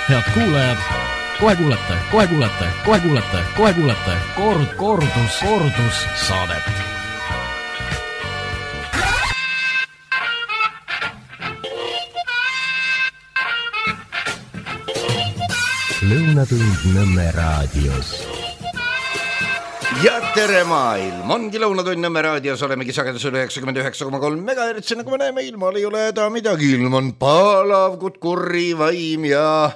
Head kuulajad, kohe kuulete kordus saadet. Lõunatund Nõmme raadios. Ja tere maailm, ongi Lõunatund Nõmme raadios, olemegi sagedusel 99,3 MHz, nagu me näeme, ilmal ei ole häda midagi, ilm on palav, kurri vaim ja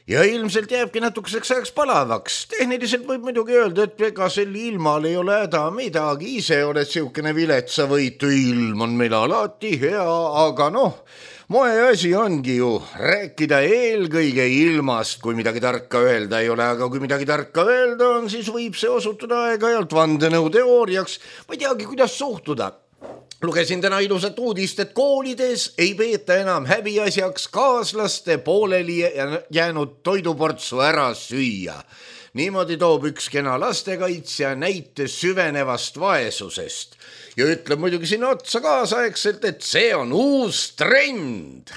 ilmselt jääbki natukeseks ajaks palavaks. Tehniliselt võib muidugi öelda, et ega sel ilmal ei ole häda midagi, ise oled siukene viletsavõitu, ilm on meil alati hea, aga moe asi ongi ju rääkida eelkõige ilmast, kui midagi tarka öelda ei ole, aga kui midagi tarka öelda on, siis võib see osutuda aeg-ajalt vandenõuteooriaks. Ma ei teagi, kuidas suhtuda. Lugesin täna ilusat uudist, et koolides ei peeta enam häbiasjaks kaaslaste pooleli jäänud toiduportsu ära süüa. Niimoodi toob üks kena lastekaitsja näite süvenevast vaesusest. Ja ütleb muidugi sinna otsa kaasaegselt, et see on uus trend.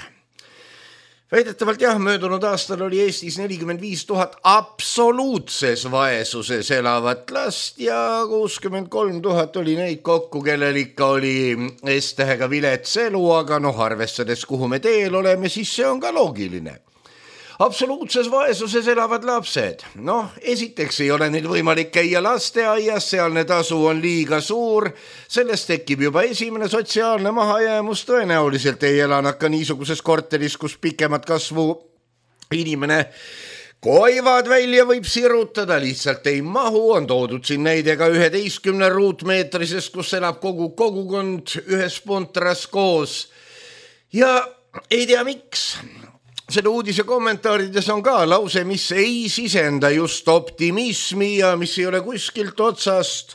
Väidetavalt möödunud aastal oli Eestis 45 000 absoluutses vaesuses elavat last ja 63 000 oli neid kokku, kellel ikka oli S-tähega vilets elu, aga arvestades, kuhu me teel oleme, siis see on ka loogiline. Absoluutses vaesuses elavad lapsed. Esiteks ei ole neil võimalik käia lasteaias, sealne tasu on liiga suur, sellest tekib juba esimene sotsiaalne mahajäämus, tõenäoliselt ei ela nad ka niisuguses korteris, kus pikemat kasvu inimene koivad välja võib sirutada, lihtsalt ei mahu, on toodud siin näide ka 11 ruutmeetrisest, kus elab kogu kogukond ühes puntras koos. Ja ei tea miks. Selle uudise kommentaarides on ka lause, mis ei sisenda just optimismi ja mis ei ole kuskilt otsast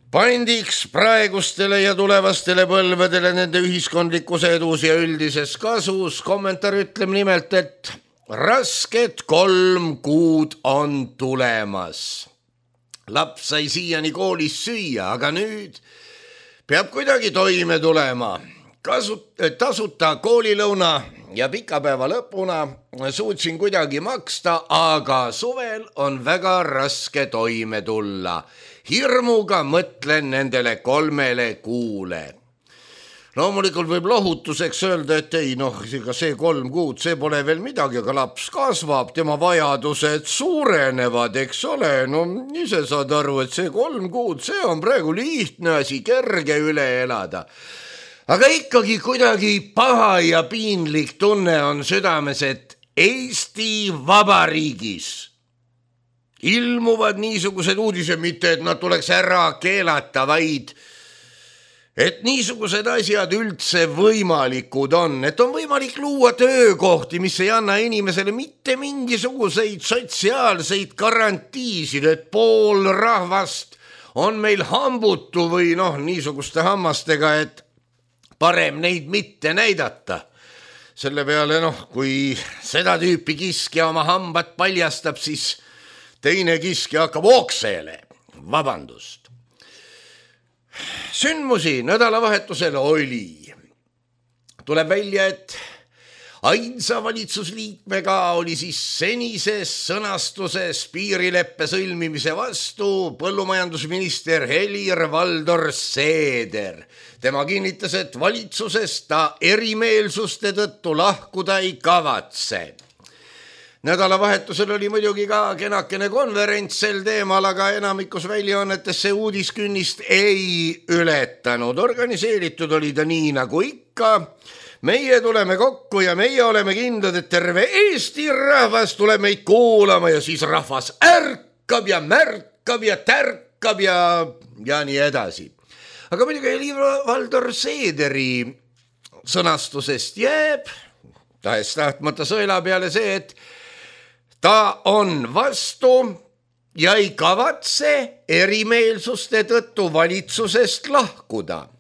pandiks praegustele ja tulevastele põlvedele nende ühiskondlikus edus ja üldises kasus. Kommentaar ütleb nimelt, et rasked 3 kuud on tulemas. Laps sai siiani koolis süüa, aga nüüd peab kuidagi toime tulema. Tasuta koolilõuna ja pikapäeva lõpuna suutsin kuidagi maksta, aga suvel on väga raske toime tulla. Hirmuga mõtlen nendele 3 kuule. Loomulikult võib lohutuseks öelda, et ei, see 3 kuud, see pole veel midagi, aga laps kasvab, tema vajadused suurenevad, eks ole. Ise saad aru, et see 3 kuud, see on praegu lihtne asi, kerge üle elada. Aga ikkagi kuidagi paha ja piinlik tunne on südames, et Eesti Vabariigis ilmuvad niisugused uudised, mitte et nad tuleks ära keelata, vaid et niisugused asjad üldse võimalikud on, et on võimalik luua töökohti, mis ei anna inimesele mitte mingisuguseid sotsiaalseid garantiisid, et pool rahvast on meil hambutu või niisuguste hammastega, et parem neid mitte näidata. Selle peale, kui seda tüüpi kiskja oma hambad paljastab, siis teine kiskja hakkab oksele. Vabandust. Sündmusi nädalavahetusel oli. Tuleb välja, et ainsa valitsusliikmega oli siis senises sõnastuses piirileppe sõlmimise vastu põllumajandusminister Helir-Valdor Seeder. Tema kinnitas, et valitsusest ta erimeelsuste tõttu lahkuda ei kavatse. Nädalavahetusel oli muidugi ka kenakene konverents sel teemal, aga enamikus väljaannetes see uudiskünnist ei ületanud. Organiseeritud oli ta nii nagu ikka. Meie tuleme kokku ja meie oleme kindlad, et terve Eesti rahvas tuleb meid kuulama ja siis rahvas ärkab ja märkab ja tärkab ja nii edasi. Aga muidugi Helir-Valdor Seederi sõnastusest jääb tahes-tahtmata sõela peale see, et ta on vastu ja ei kavatse erimeelsuste tõttu valitsusest lahkuda.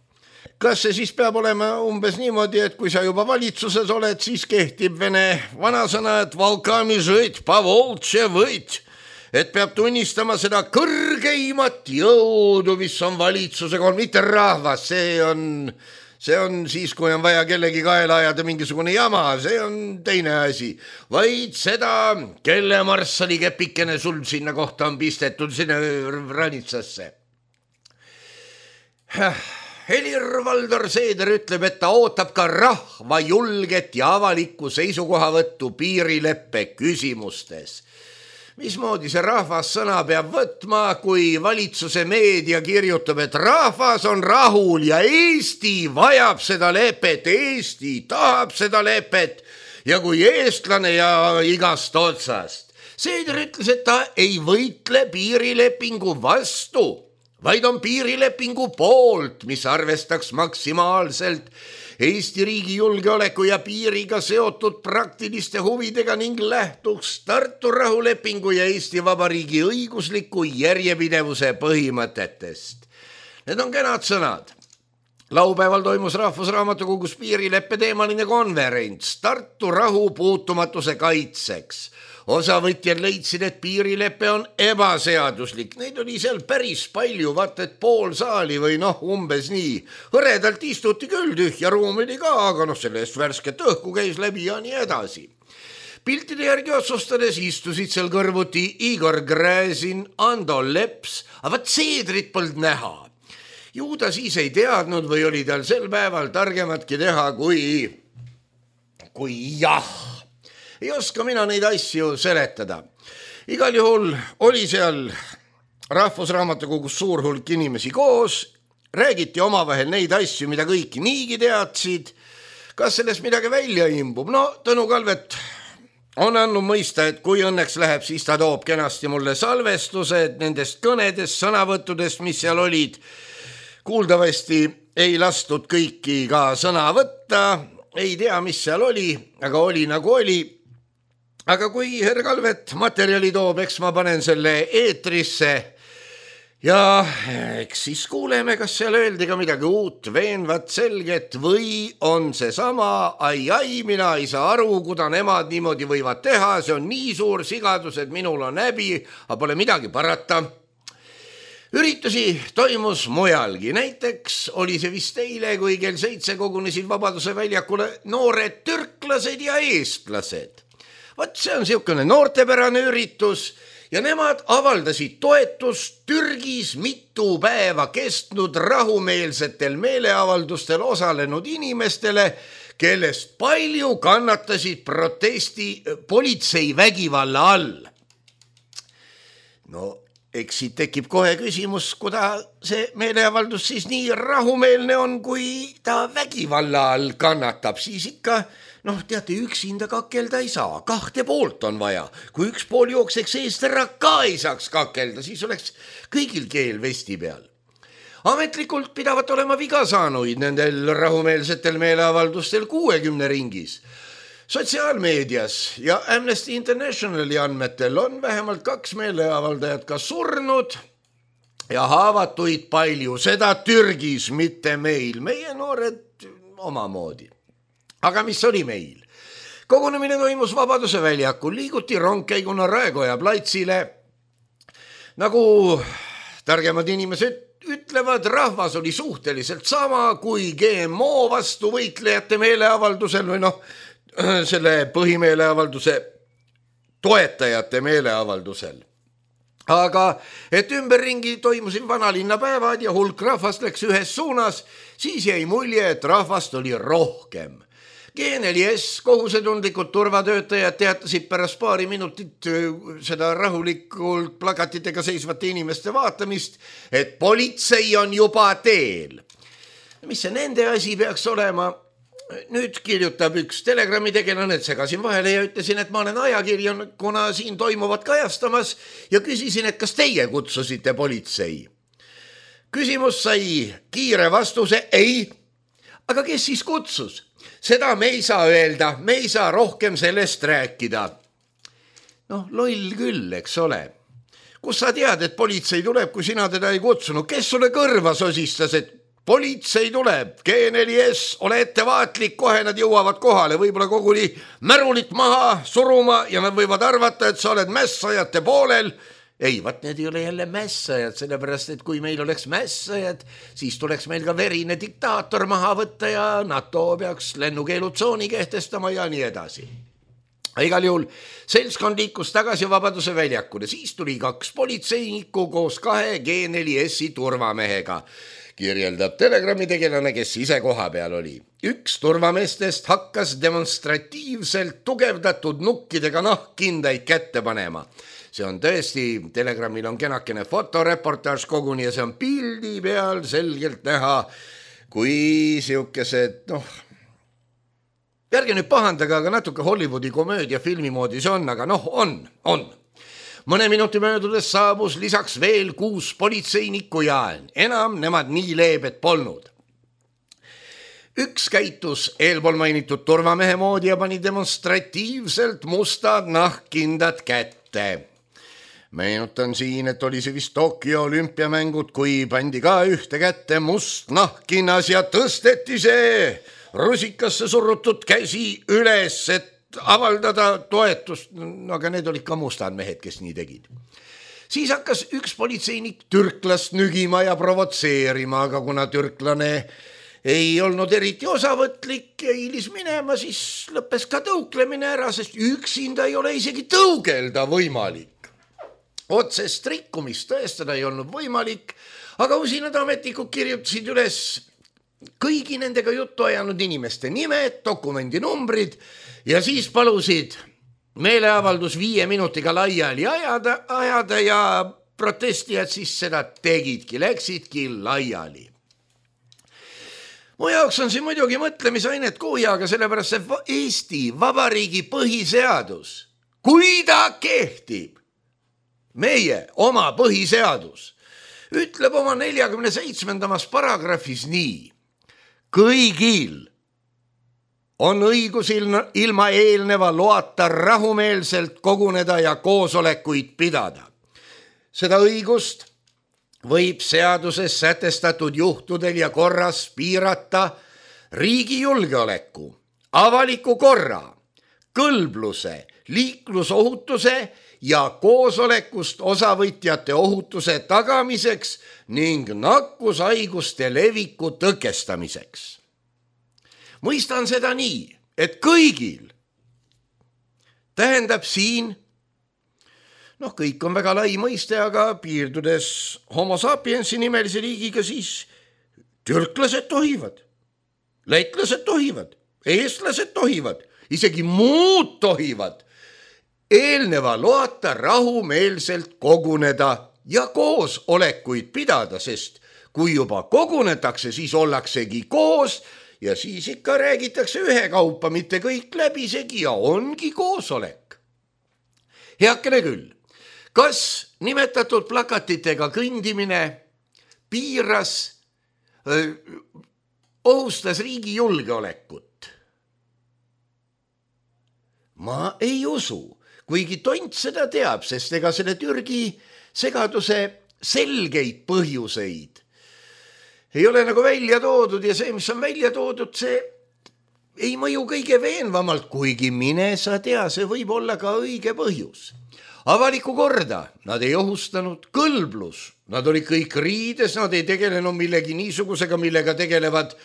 Kas see siis peab olema umbes niimoodi, et kui sa juba valitsuses oled, siis kehtib vene vanasõna, et valkami žõit, pavoltše võit, et peab tunnistama seda kõrgeimat jõudu, mis on valitsusega, on mitte rahvas, see on siis, kui on vaja kellegi kaela ajada mingisugune jama, see on teine asi. Vaid seda, kelle marssalikepikene sul sinna kohta on pistetud sinna ranitsasse. Helir-Valdor Seeder ütleb, et ta ootab ka rahva julget ja avalikku seisukohavõttu piirileppe küsimustes. Mismoodi see rahvas sõna peab võtma, kui valitsuse meedia kirjutab, et rahvas on rahul ja Eesti vajab seda lepet, Eesti tahab seda lepet ja kui eestlane ja igast otsast. Seeder ütles, et ta ei võitle piirilepingu vastu, vaid on piirilepingu poolt, mis arvestaks maksimaalselt Eesti riigi julgeoleku ja piiriga seotud praktiliste huvidega ning lähtuks Tartu rahulepingu ja Eesti Vabariigi õigusliku järjepidevuse põhimõtetest. Need on kenad sõnad. Laupäeval toimus Rahvusraamatukogus piirileppe teemaline konverents Tartu rahu puutumatuse kaitseks. Osavõtjad leidsid, et piirileppe on ebaseaduslik. Neid oli seal päris palju, vaata, et pool saali või umbes nii. Hõredalt istuti küll, tühja ruum oli ka, aga sellest värsket õhku käis läbi ja nii edasi. Piltide järgi otsustades istusid seal kõrvuti Igor Gräzin, Ando Leps, aga Seedrit polnud näha. Ju ta siis ei teadnud või oli tal sel päeval targematki teha kui jah. Ei oska mina neid asju seletada. Igal juhul oli seal Rahvusraamatukogus suur hulk inimesi koos, räägiti omavahel neid asju, mida kõik niigi teadsid. Kas sellest midagi välja imbub? Tõnu Kalvet on andnud mõista, et kui õnneks läheb, siis ta toob kenasti mulle salvestused nendest kõnedest, sõnavõttudest, mis seal olid. Kuuldavasti ei lastud kõiki ka sõna võtta, ei tea, mis seal oli, aga oli nagu oli. Aga kui herr Kalvet materjali toob, eks ma panen selle eetrisse ja eks siis kuuleme, kas seal öeldi ka midagi uut, veenvat, selget või on see sama, ai, mina ei saa aru, kuda nemad niimoodi võivad teha, see on nii suur sigadus, et minul on häbi, aga pole midagi parata. Üritusi toimus mujalgi, näiteks oli see vist eile, kui kell 7 kogunesid Vabaduse väljakule noored türklased ja eestlased. Vaat see on siukene noortepärane üritus ja nemad avaldasid toetust Türgis mitu päeva kestnud rahumeelsetel meeleavaldustel osalenud inimestele, kellest palju kannatasid politsei vägivalla all. Eks siit tekib kohe küsimus, kuda see meeleavaldus siis nii rahumeelne on, kui ta vägivalla all kannatab, siis ikka teate, üksinda kakelda ei saa, 2 poolt on vaja. Kui üks pool jookseks eest ära ka ei saaks kakelda, siis oleks kõigil keel vesti peal. Ametlikult pidavat olema viga saanuid nendel rahumeelsetel meeleavaldustel 60 ringis. Sotsiaalmeedias ja Amnesty Internationali andmetel on vähemalt 2 meeleavaldajat ka surnud ja haavatuid palju, seda Türgis, mitte meil. Meie noored omamoodi. Aga mis oli meil? Kogunemine toimus Vabaduse väljakul, liiguti rongkäiguna Raekoja platsile. Nagu targemad inimesed ütlevad, rahvas oli suhteliselt sama kui GMO vastu võitlejate meeleavaldusel või selle põhimeeleavalduse toetajate meeleavaldusel. Aga et ümberringi toimusid vanalinnapäevad ja hulk rahvast läks ühes suunas, siis jäi mulje, et rahvast oli rohkem. G4S kohusetundlikud turvatöötajad teatasid pärast paari minutit seda rahulikult plakatitega seisvate inimeste vaatamist, et politsei on juba teel. Mis see nende asi peaks olema? Nüüd kirjutab üks Telegrami tegelane, et segasin vahele ja ütlesin, et ma olen ajakirjanikuna siin toimuvat kajastamas ja küsisin, et kas teie kutsusite politsei. Küsimus sai kiire vastuse, ei. Aga kes siis kutsus? Seda me ei saa öelda, me ei saa rohkem sellest rääkida. Loll küll, eks ole. Kus sa tead, et politsei tuleb, kui sina teda ei kutsunud? Kes sulle kõrva sosistas, et politsei tuleb? G4S, ole ettevaatlik, kohe nad jõuavad kohale, võib-olla koguni märulit maha suruma ja nad võivad arvata, et sa oled mässajate poolel ei, vaat need ei ole jälle mässajad, sellepärast, et kui meil oleks mässajad, siis tuleks meil ka verine diktaator maha võtta ja NATO peaks lennukeelutsooni kehtestama ja nii edasi. Igal juhul seltskond liikus tagasi Vabaduse väljakule, siis tuli 2 politseinikku koos 2 G4S-i turvamehega, kirjeldab Telegrami tegelane, kes ise koha peal oli. Üks turvameestest hakkas demonstratiivselt tugevdatud nukkidega nahkkindaid kätte panema. See on tõesti, Telegramil on kenakene fotoreportaaž koguni ja see on pildi peal selgelt näha, kui siukesed, ärge nüüd pahandage, aga natuke Hollywoodi komöödia filmi moodi see on, aga on. Mõne minuti möödudes saabus lisaks veel 6 politseinikku ja enam nemad nii leebed polnud. Üks käitus eelpool mainitud turvamehe moodi ja pani demonstratiivselt mustad nahkkindad kätte. Meenutan siin, et oli see vist Tokyo olümpiamängud, kui pandi ka ühte kätte must nahkkinnas ja tõsteti see rusikasse surutud käsi üles, et avaldada toetust, aga need olid ka mustad mehed, kes nii tegid. Siis hakkas üks politseinik türklast nügima ja provotseerima, aga kuna türklane ei olnud eriti osavõtlik ja hiilis minema, siis lõppes ka tõuklemine ära, sest üksinda ei ole isegi tõugelda võimalik. Otsest rikkumist tõestada ei olnud võimalik, aga usinad ametnikud kirjutasid üles kõigi nendega juttu ajanud inimeste nimed, dokumendi numbrid ja siis palusid meeleavaldus 5 minutiga laiali ajada ja protestijad siis seda tegidki, läksidki laiali. Mu jaoks on siin muidugi mõtlemisainet kuujaga, sellepärast see Eesti Vabariigi põhiseadus, kui ta kehtib, meie oma põhiseadus, ütleb oma 47. paragrahvis nii. Kõigil on õigus ilma eelneva loata rahumeelselt koguneda ja koosolekuid pidada. Seda õigust võib seaduses sätestatud juhtudel ja korras piirata riigi julgeoleku, avaliku korra, kõlbluse, liiklusohutuse ja koosolekust osavõtjate ohutuse tagamiseks ning nakkushaiguste leviku tõkestamiseks. Mõistan seda nii, et kõigil tähendab siin, kõik on väga lai mõiste, aga piirdudes homo sapiensi nimelise riigiga, siis türklased tohivad, lätlased tohivad, eestlased tohivad, isegi muud tohivad eelneva loata rahumeelselt koguneda ja koosolekuid pidada, sest kui juba kogunetakse, siis ollaksegi koos ja siis ikka räägitakse ühekaupa, mitte kõik läbisegi ja ongi koosolek. Heakene küll, kas nimetatud plakatitega kõndimine piiras, ohustas riigi julgeolekut? Ma ei usu. Kuigi tont seda teab, sest ega selle Türgi segaduse selgeid põhjuseid ei ole nagu välja toodud ja see, mis on välja toodud, see ei mõju kõige veenvamalt, kuigi mine sa tea, see võib olla ka õige põhjus. Avaliku korda nad ei ohustanud, kõlblus, nad olid kõik riides, nad ei tegelenud millegi niisugusega, millega tegelevad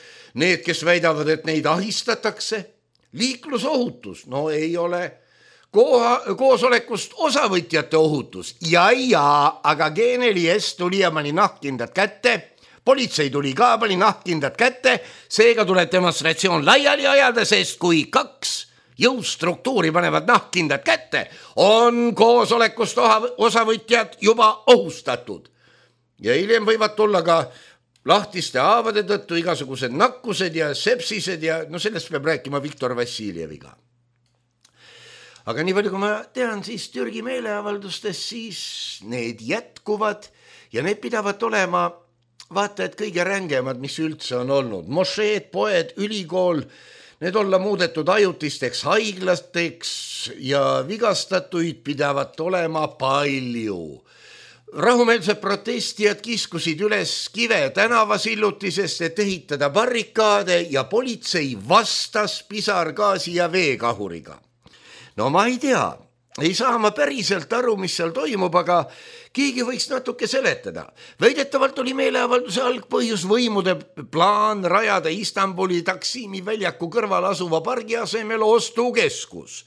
need, kes väidavad, et neid ahistatakse. Liiklusohutus, ei ole koosolekust osavõtjate ohutus. Ja, aga G4S tuli ja pani nahkkindad kätte, politsei tuli ka, pani nahkkindad kätte, seega tuleb demonstratsioon laiali ajada, sest kui 2 jõustruktuuri panevad nahkkindad kätte, on koosolekust osavõtjad juba ohustatud. Ja hiljem võivad tulla ka lahtiste haavade tõttu igasugused nakkused ja sepsised ja sellest peab rääkima Viktor Vassiljeviga. Aga nii palju, kui ma tean, siis Türgi meeleavaldustes siis need jätkuvad ja need pidavad olema vaata, et kõige rängemad, mis üldse on olnud. Mošeed, poed, ülikool, need olla muudetud ajutisteks haiglateks ja vigastatuid pidavat olema palju. Rahumeelsed protestijad kiskusid üles kive tänavasillutisest, et ehitada barrikaade ja politsei vastas pisargaasi ja veekahuriga. Ma ei tea, ei saa ma päriselt aru, mis seal toimub, aga keegi võiks natuke seletada. Väidetavalt oli meeleavalduse algpõhjus võimude plaan rajada Istanbuli Taksimi väljaku kõrval asuva pargi asemel ostukeskus.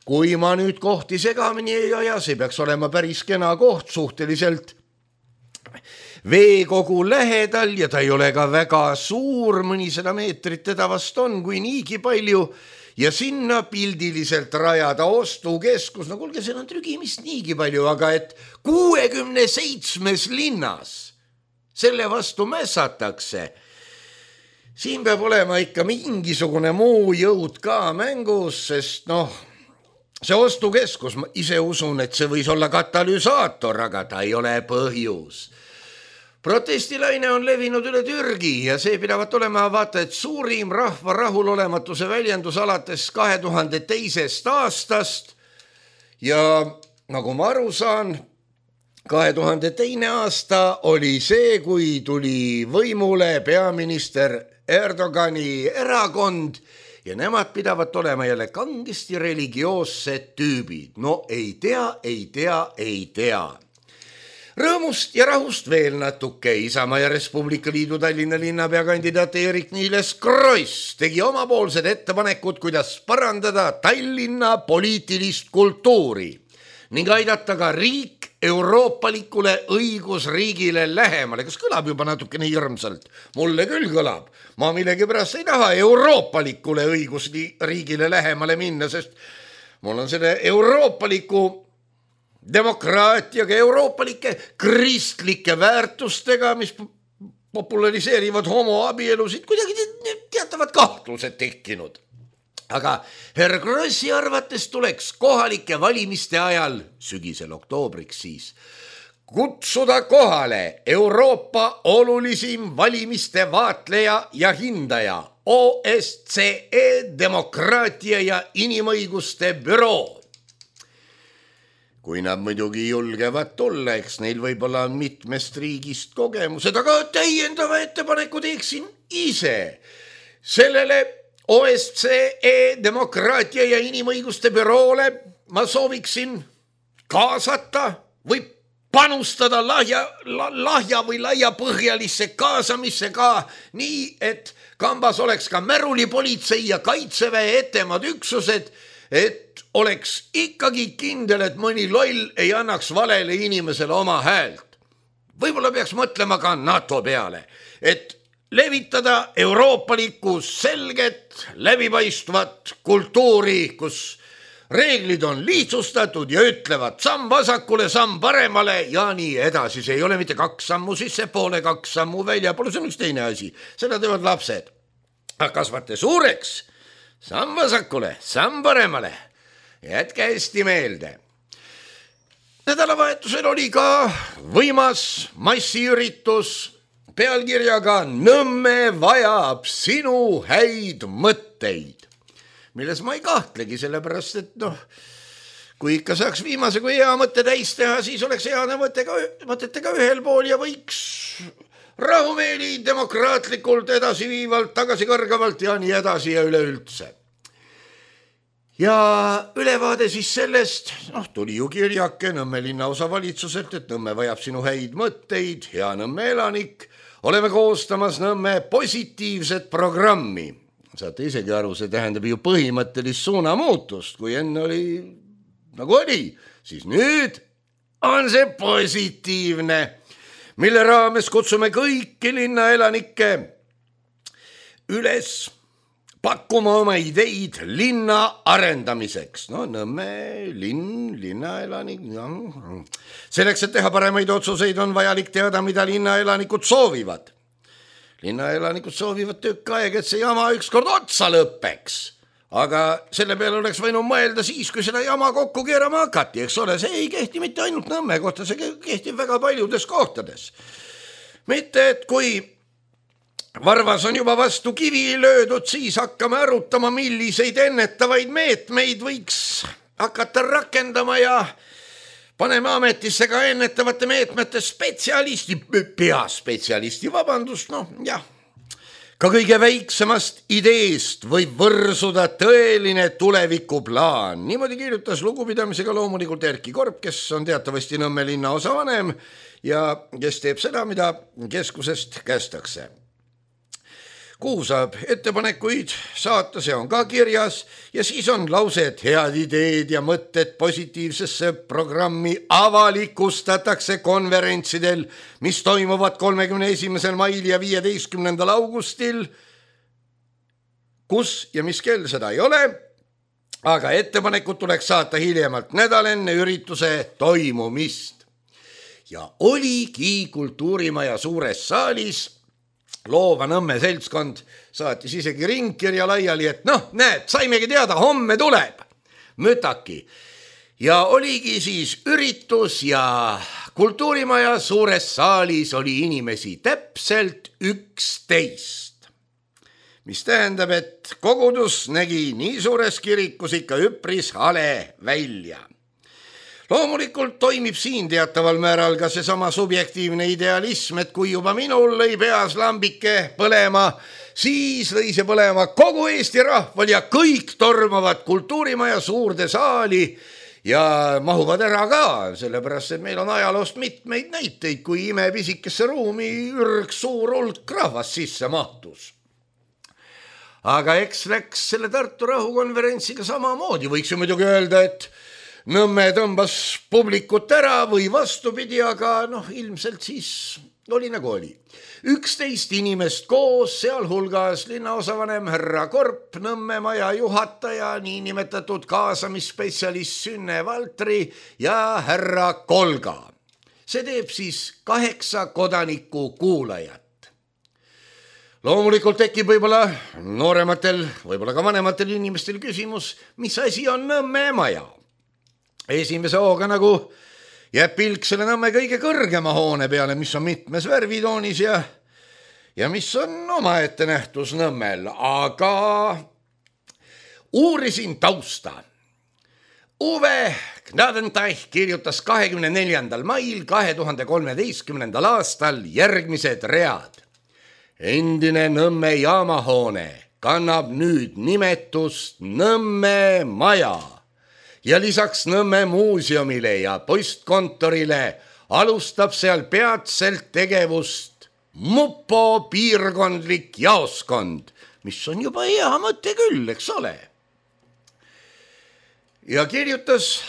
Kui ma nüüd kohti segamini ei aja, see peaks olema päris kena koht suhteliselt veekogu lähedal ja ta ei ole ka väga suur, mõnisada meetrit teda vast on, kui niigi palju ja sinna pildiliselt rajada ostukeskus, no kuulge, see on trügimist niigi palju, aga et 67 linnas selle vastu mässatakse, siin peab olema ikka mingisugune muu jõud ka mängus, sest see ostukeskus, ma ise usun, et see võis olla katalüsaator, aga ta ei ole põhjus. Protestilaine on levinud üle Türgi ja see pidavat olema vaata, et suurim rahva rahulolematuse väljendus alates 2002. aastast ja nagu ma aru saan, 2002. aasta oli see, kui tuli võimule peaminister Erdogani erakond ja nemad pidavat olema jälle kangesti religioossed tüübid. No ei tea. Rõõmust ja rahust veel natuke. Isamaa ja Res Publica Liidu Tallinna linnapea kandidaat Eerik-Niiles Kross tegi omapoolsed ettepanekud, kuidas parandada Tallinna poliitilist kultuuri ning aidata ka riik euroopalikule õigusriigile lähemale. Kas kõlab juba natukene hirmsalt? Mulle küll kõlab. Ma millegipärast ei taha euroopalikule õigusriigile lähemale minna, sest mul on selle euroopaliku demokraatiaga, euroopalike kristlike väärtustega, mis populariseerivad homoabielusid, kuidagi teatavad kahtlused tekkinud. Aga herr Krossi arvates tuleks kohalike valimiste ajal, sügisel oktoobriks siis, kutsuda kohale Euroopa olulisim valimiste vaatleja ja hindaja, OSCE demokraatia ja inimõiguste büroo. Kui nad muidugi julgevad tulla, eks neil võib-olla on mitmest riigist kogemused, aga täiendava ettepaneku teeksin ise. Sellele OSCE demokraatia ja inimõiguste büroole ma sooviksin kaasata või panustada lahja või laiapõhjalisse kaasamisse ka nii, et kambas oleks ka märulipolitsei ja kaitseväe etemad üksused, et oleks ikkagi kindel, et mõni loll ei annaks valele inimesele oma häält. Võib-olla peaks mõtlema ka NATO peale, et levitada euroopalikku selget, läbipaistvat kultuuri, kus reeglid on lihtsustatud ja ütlevad samm vasakule, samm paremale ja nii edasi. See ei ole mitte 2 sammu sissepoole, 2 sammu väljapoole, see on üks teine asi. Seda teevad lapsed. Kasvate suureks, samm vasakule, samm paremale. Jätke hästi meelde. Nädalavahetusel oli ka võimas massiüritus pealkirjaga Nõmme vajab sinu häid mõtteid, milles ma ei kahtlegi, sellepärast, et kui ikka saaks viimase kui hea mõtte täis teha, siis oleks heade mõtetega ühel pool ja võiks rahumeeli demokraatlikult edasi viivalt, tagasi kõrgavalt ja nii edasi ja üleüldse. Ja ülevaade siis sellest, tuli ju kirjake Nõmme linnaosa valitsuselt, et Nõmme vajab sinu häid mõtteid, hea Nõmme elanik, oleme koostamas Nõmme positiivset programmi. Saate isegi aru, see tähendab ju põhimõttelist suunamuutust, kui enne oli nagu oli, siis nüüd on see positiivne, mille raames kutsume kõiki linnaelanikke üles pakkuma oma ideid linna arendamiseks. Nõmme linnaelanik. Selleks, et teha paremaid otsuseid, on vajalik teada, mida linnaelanikud soovivad. Linnaelanikud soovivad tükk aega, et see jama ükskord otsa lõpeks. Aga selle peale oleks võinud mõelda siis, kui seda jama kokku keerama hakati, eks ole. See ei kehti mitte ainult Nõmme kohta, see kehtib väga paljudes kohtades. Mitte, et kui varvas on juba vastu kivi löödud, siis hakkame arutama, milliseid ennetavaid meetmeid võiks hakata rakendama ja paneme ametisse ka ennetavate meetmete spetsialisti, peaspetsialisti, vabandust, Ka kõige väiksemast ideest võib võrsuda tõeline tulevikuplaan. Niimoodi kirjutas lugupidamisega loomulikult Erki Korp, kes on teatavasti Nõmme linnaosa vanem ja kes teeb seda, mida keskusest kästakse. Kuhu saab ettepanekuid saata, see on ka kirjas ja siis on lause, et head ideed ja mõtted positiivsesse programmi avalikustatakse konverentsidel, mis toimuvad 31. mail ja 15. augustil. Kus ja mis kell, seda ei ole, aga ettepanekud tuleks saata hiljemalt nädal enne ürituse toimumist. Ja oligi Kultuurimaja suures saalis Loova Nõmme seltskond saatis isegi ringkirja laiali, et näed, saimegi teada, homme tuleb mütaki. Ja oligi siis üritus ja Kultuurimaja suures saalis oli inimesi täpselt 11. Mis tähendab, et kogudus nägi nii suures kirikus ikka üpris hale välja. Loomulikult toimib siin teataval määral ka seesama subjektiivne idealism, et kui juba minul lõi peas lambike põlema, siis lõi see põlema kogu Eesti rahval ja kõik tormavad Kultuurimaja suurde saali ja mahuvad ära ka, sellepärast, et meil on ajaloost mitmeid näiteid, kui imepisikesse ruumi ürgs suur hulk rahvast sisse mahtus. Aga eks läks selle Tartu rahukonverentsiga samamoodi, võiks ju muidugi öelda, et Nõmme tõmbas publikut ära või vastupidi, aga ilmselt siis oli nagu oli. 11 inimest koos, sealhulgas linnaosavanem härra Korp, Nõmme maja juhataja, niinimetatud kaasamispetsialist Sünne Valtri ja härra Kolga. See teeb siis 8 kodaniku kuulajat. Loomulikult tekib võib-olla noorematel, võib-olla ka vanematel inimestel küsimus, mis asi on Nõmme maja? Esimese hooga nagu jääb pilk selle Nõmme kõige kõrgema hoone peale, mis on mitmes värvitoonis ja mis on omaette nähtus Nõmmel, aga uurisin tausta. Uwe Gnadenteich kirjutas 24. mail 2013. aastal järgmised read. Endine Nõmme jaamahoone kannab nüüd nimetust Nõmme maja. Ja lisaks Nõmme muuseumile ja postkontorile alustab seal peatselt tegevust Mupo piirkondlik jaoskond, mis on juba hea mõte küll, eks ole. Ja kirjutas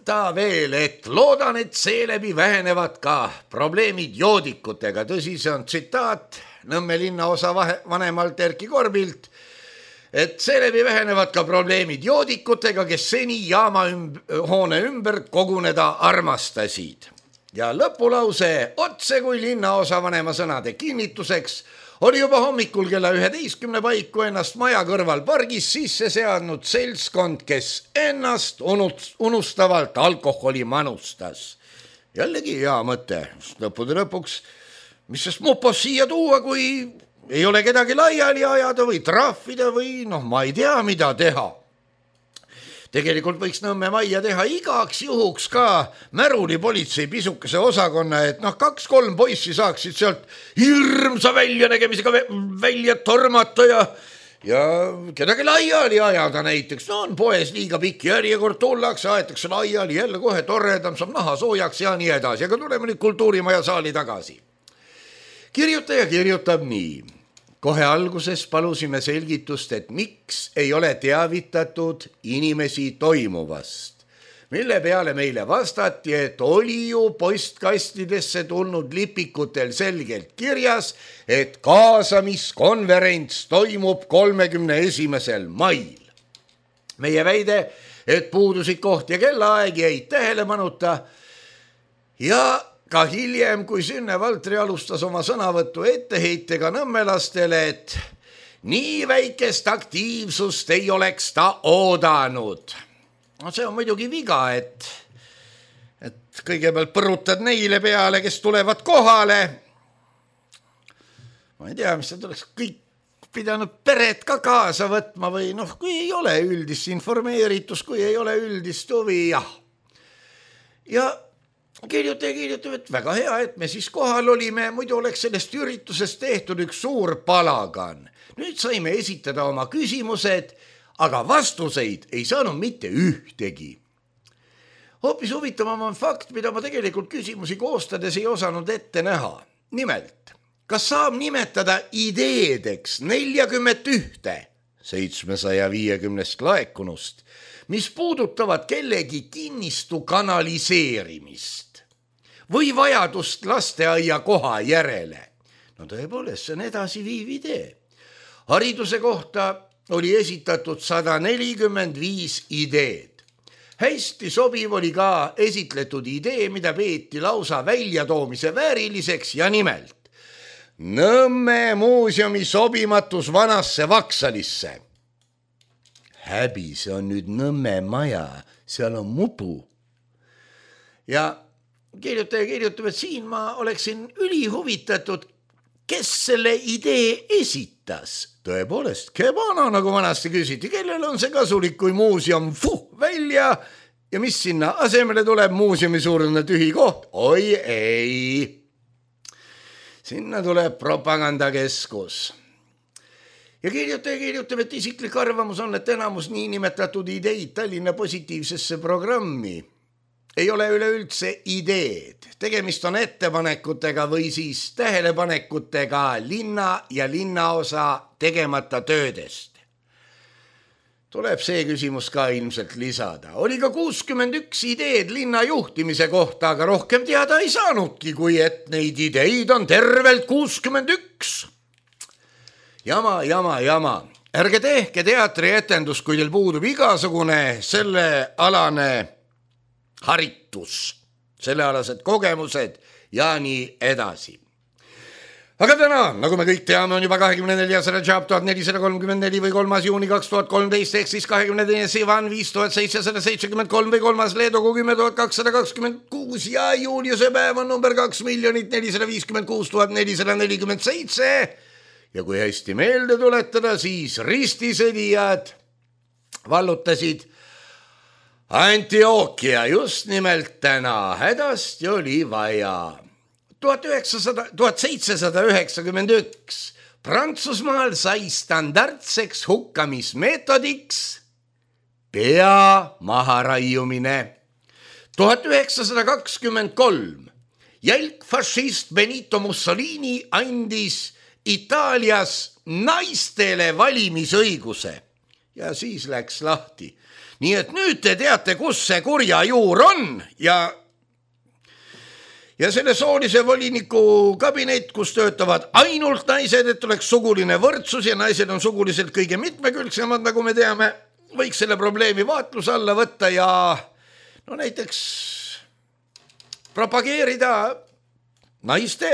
ta veel, et loodan, et seeläbi vähenevad ka probleemid joodikutega. Tõsi, see on tsitaat Nõmme linnaosa vanemalt Erki Korbilt, et seeläbi vähenevad ka probleemid joodikutega, kes seni jaamahoone ümber koguneda armastasid. Ja lõpulause otse kui linnaosa vanema sõnade kinnituseks oli juba hommikul kella 11 paiku ennast maja kõrval pargis sisse seadnud seltskond, kes ennast unustavalt alkoholi manustas. Jällegi hea mõte, lõppude lõpuks, mis sest Mupos siia tuua, kui ei ole kedagi laiali ajada või trahvida või ma ei tea, mida teha. Tegelikult võiks Nõmme majja teha igaks juhuks ka märulipolitsei pisukese osakonna, et 2-3 poissi saaksid sealt hirmsa väljanägemisega välja tormata ja kedagi laiali ajada näiteks. On poes liiga pikk järjekord, tullakse, aetakse laiali, jälle kohe toredam, saab naha soojaks ja nii edasi. Aga tuleme nüüd Kultuurimaja saali tagasi. Kirjutaja kirjutab nii. Kohe alguses palusime selgitust, et miks ei ole teavitatud inimesi toimuvast, mille peale meile vastati, et oli ju postkastidesse tulnud lipikutel selgelt kirjas, et kaasamiskonverents toimub 31. mail. Meie väide, et puudusid koht ja kellaaeg jäid tähelepanuta ja ka hiljem, kui Sünne Valtri alustas oma sõnavõttu etteheitega nõmmelastele, et nii väikest aktiivsust ei oleks ta oodanud. See on muidugi viga, et kõigepealt põrutad neile peale, kes tulevad kohale. Ma ei tea, mis see tuleks kõik pidanud peret ka kaasa võtma või kui ei ole üldist informeeritus, kui ei ole üldist huvi, jah. Ja kirjutab, et väga hea, et me siis kohal olime, muidu oleks sellest üritusest tehtud üks suur palagan. Nüüd saime esitada oma küsimused, aga vastuseid ei saanud mitte ühtegi. Hoopis huvitavam on fakt, mida ma tegelikult küsimusi koostades ei osanud ette näha. Nimelt, kas saab nimetada ideedeks 41 750 laekunust, mis puudutavad kellegi kinnistu kanaliseerimist või vajadust lasteaia koha järele? No tõepoolest, see on edasiviiv idee. Hariduse kohta oli esitatud 145 ideed. Hästi sobiv oli ka esitletud idee, mida peeti lausa väljatoomise vääriliseks ja nimelt Nõmme muuseumi sobimatus vanasse Vaksalisse. Häbi, see on nüüd Nõmme maja, seal on mudu. Ja kirjutaja kirjutab, et siin ma oleksin ülihuvitatud, kes selle idee esitas. Tõepoolest, kebana, nagu vanasti küsiti, kellel on see kasulik, kui muuseum välja ja mis sinna asemele tuleb, muuseumi suurune tühi koht? Oi ei, sinna tuleb propagandakeskus. Ja kirjutaja kirjutab, et isiklik arvamus on, et enamus niinimetatud ideid Tallinna positiivsesse programmi ei ole üleüldse ideed. Tegemist on ettepanekutega või siis tähelepanekutega linna ja linnaosa tegemata töödest. Tuleb see küsimus ka ilmselt lisada. Oli ka 61 ideed linna juhtimise kohta, aga rohkem teada ei saanudki, kui et neid ideid on tervelt 61. Jama. Ärge tehke teatrietendust, kui teil puudub igasugune sellealane haritus, sellealased kogemused ja nii edasi. Aga täna, nagu me kõik teame, on juba 24. Rajab 1434 või 3. juuni 2013 ehk siis 22. Sivan 5773 või 3. Leedogu 10226 ja Juliuse päev on number 2 456 447. Ja kui hästi meelde tuletada, siis ristisõdijad vallutasid Antioquia just nimelt täna. Hädasti oli vaja. 1791 Prantsusmaal sai standardseks hukkamismeetodiks pea maharaiumine. 1923 jälgfašist Benito Mussolini andis Itaalias naistele valimisõiguse ja siis läks lahti. Nii et nüüd te teate, kus see kurja juur on ja selle soolise voliniku kabinet, kus töötavad ainult naised, et oleks suguline võrdsus ja naised on suguliselt kõige mitmekülgsemad, nagu me teame, võiks selle probleemi vaatluse alla võtta ja no näiteks propageerida naiste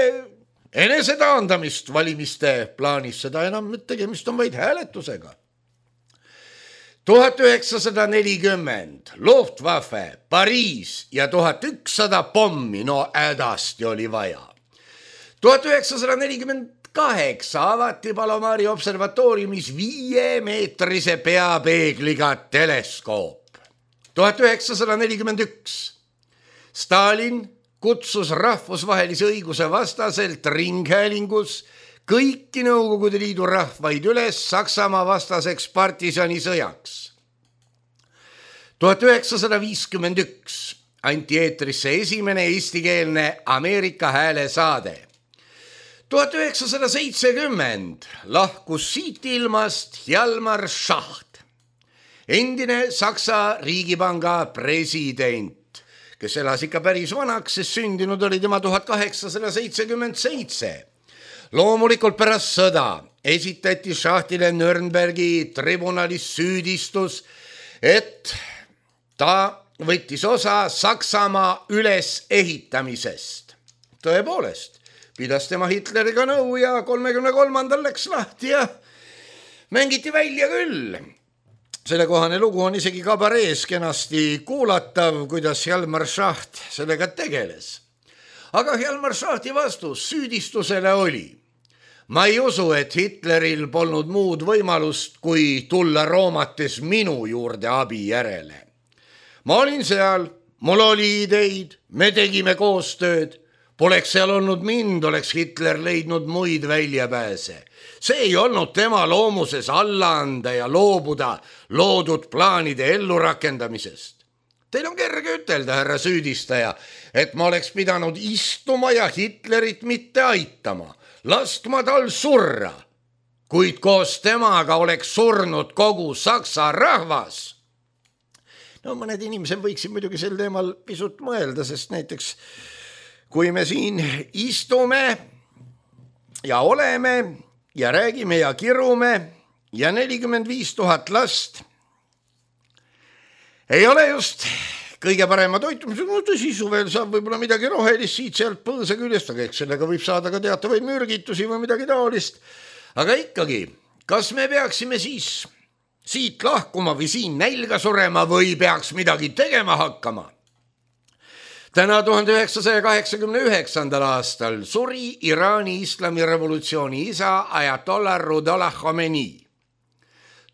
enesetaandamist valimiste plaanis, seda enam tegemist on vaid hääletusega. 1940 Luftwaffe, Pariis ja 1100 pommi, no hädasti oli vaja. 1948 avati Palomari observatooriumis 5-meetrise peapeegliga teleskoop. 1941 Stalin kutsus rahvusvahelise õiguse vastaselt ringhäälingus kõiki Nõukogude Liidu rahvaid üles Saksamaa vastaseks partisanisõjaks. 1951 anti eetrisse esimene eestikeelne Ameerika hääle saade. 1970 lahkus siit ilmast Hjalmar Schacht, endine Saksa riigipanga president, kes elas ikka päris vanaks, sest sündinud oli tema 1877. Loomulikult pärast sõda esitati Schachtile Nürnbergi tribunalis süüdistus, et ta võttis osa Saksamaa ülesehitamisest. Tõepoolest, pidas tema Hitleriga nõu ja 33. läks lahti ja mängiti välja küll. Sellekohane lugu on isegi kabarees kenasti kuulatav, kuidas Hjalmar Schacht sellega tegeles. Aga Hjalmar Schachti vastus süüdistusele oli: ma ei usu, et Hitleril polnud muud võimalust, kui tulla Roomates minu juurde abi järele. Ma olin seal, mul oli ideid, me tegime koostööd. Poleks seal olnud mind, oleks Hitler leidnud muid väljapääse. See ei olnud tema loomuses alla anda ja loobuda loodud plaanide ellurakendamisest. Teil on kerge ütelda, härra süüdistaja, et ma oleks pidanud istuma ja Hitlerit mitte aitama, lastma tal surra, kuid koos temaga oleks surnud kogu Saksa rahvas. No mõned inimesed võiksid muidugi sel teemal pisut mõelda, sest näiteks kui me siin istume ja oleme ja räägime ja kirume ja 45 000 last ei ole just kõige parema toitumise, tõsi, suvel saab võib-olla midagi rohelist siit sealt põõsa küljest, aga eks sellega võib saada ka teatavaid mürgitusi või midagi taolist. Aga ikkagi, kas me peaksime siis siit lahkuma või siin nälga surema või peaks midagi tegema hakkama? Täna 1989. aastal suri Iraani islamirevolutsiooni isa Ayatollah Ruhollah Khomeini.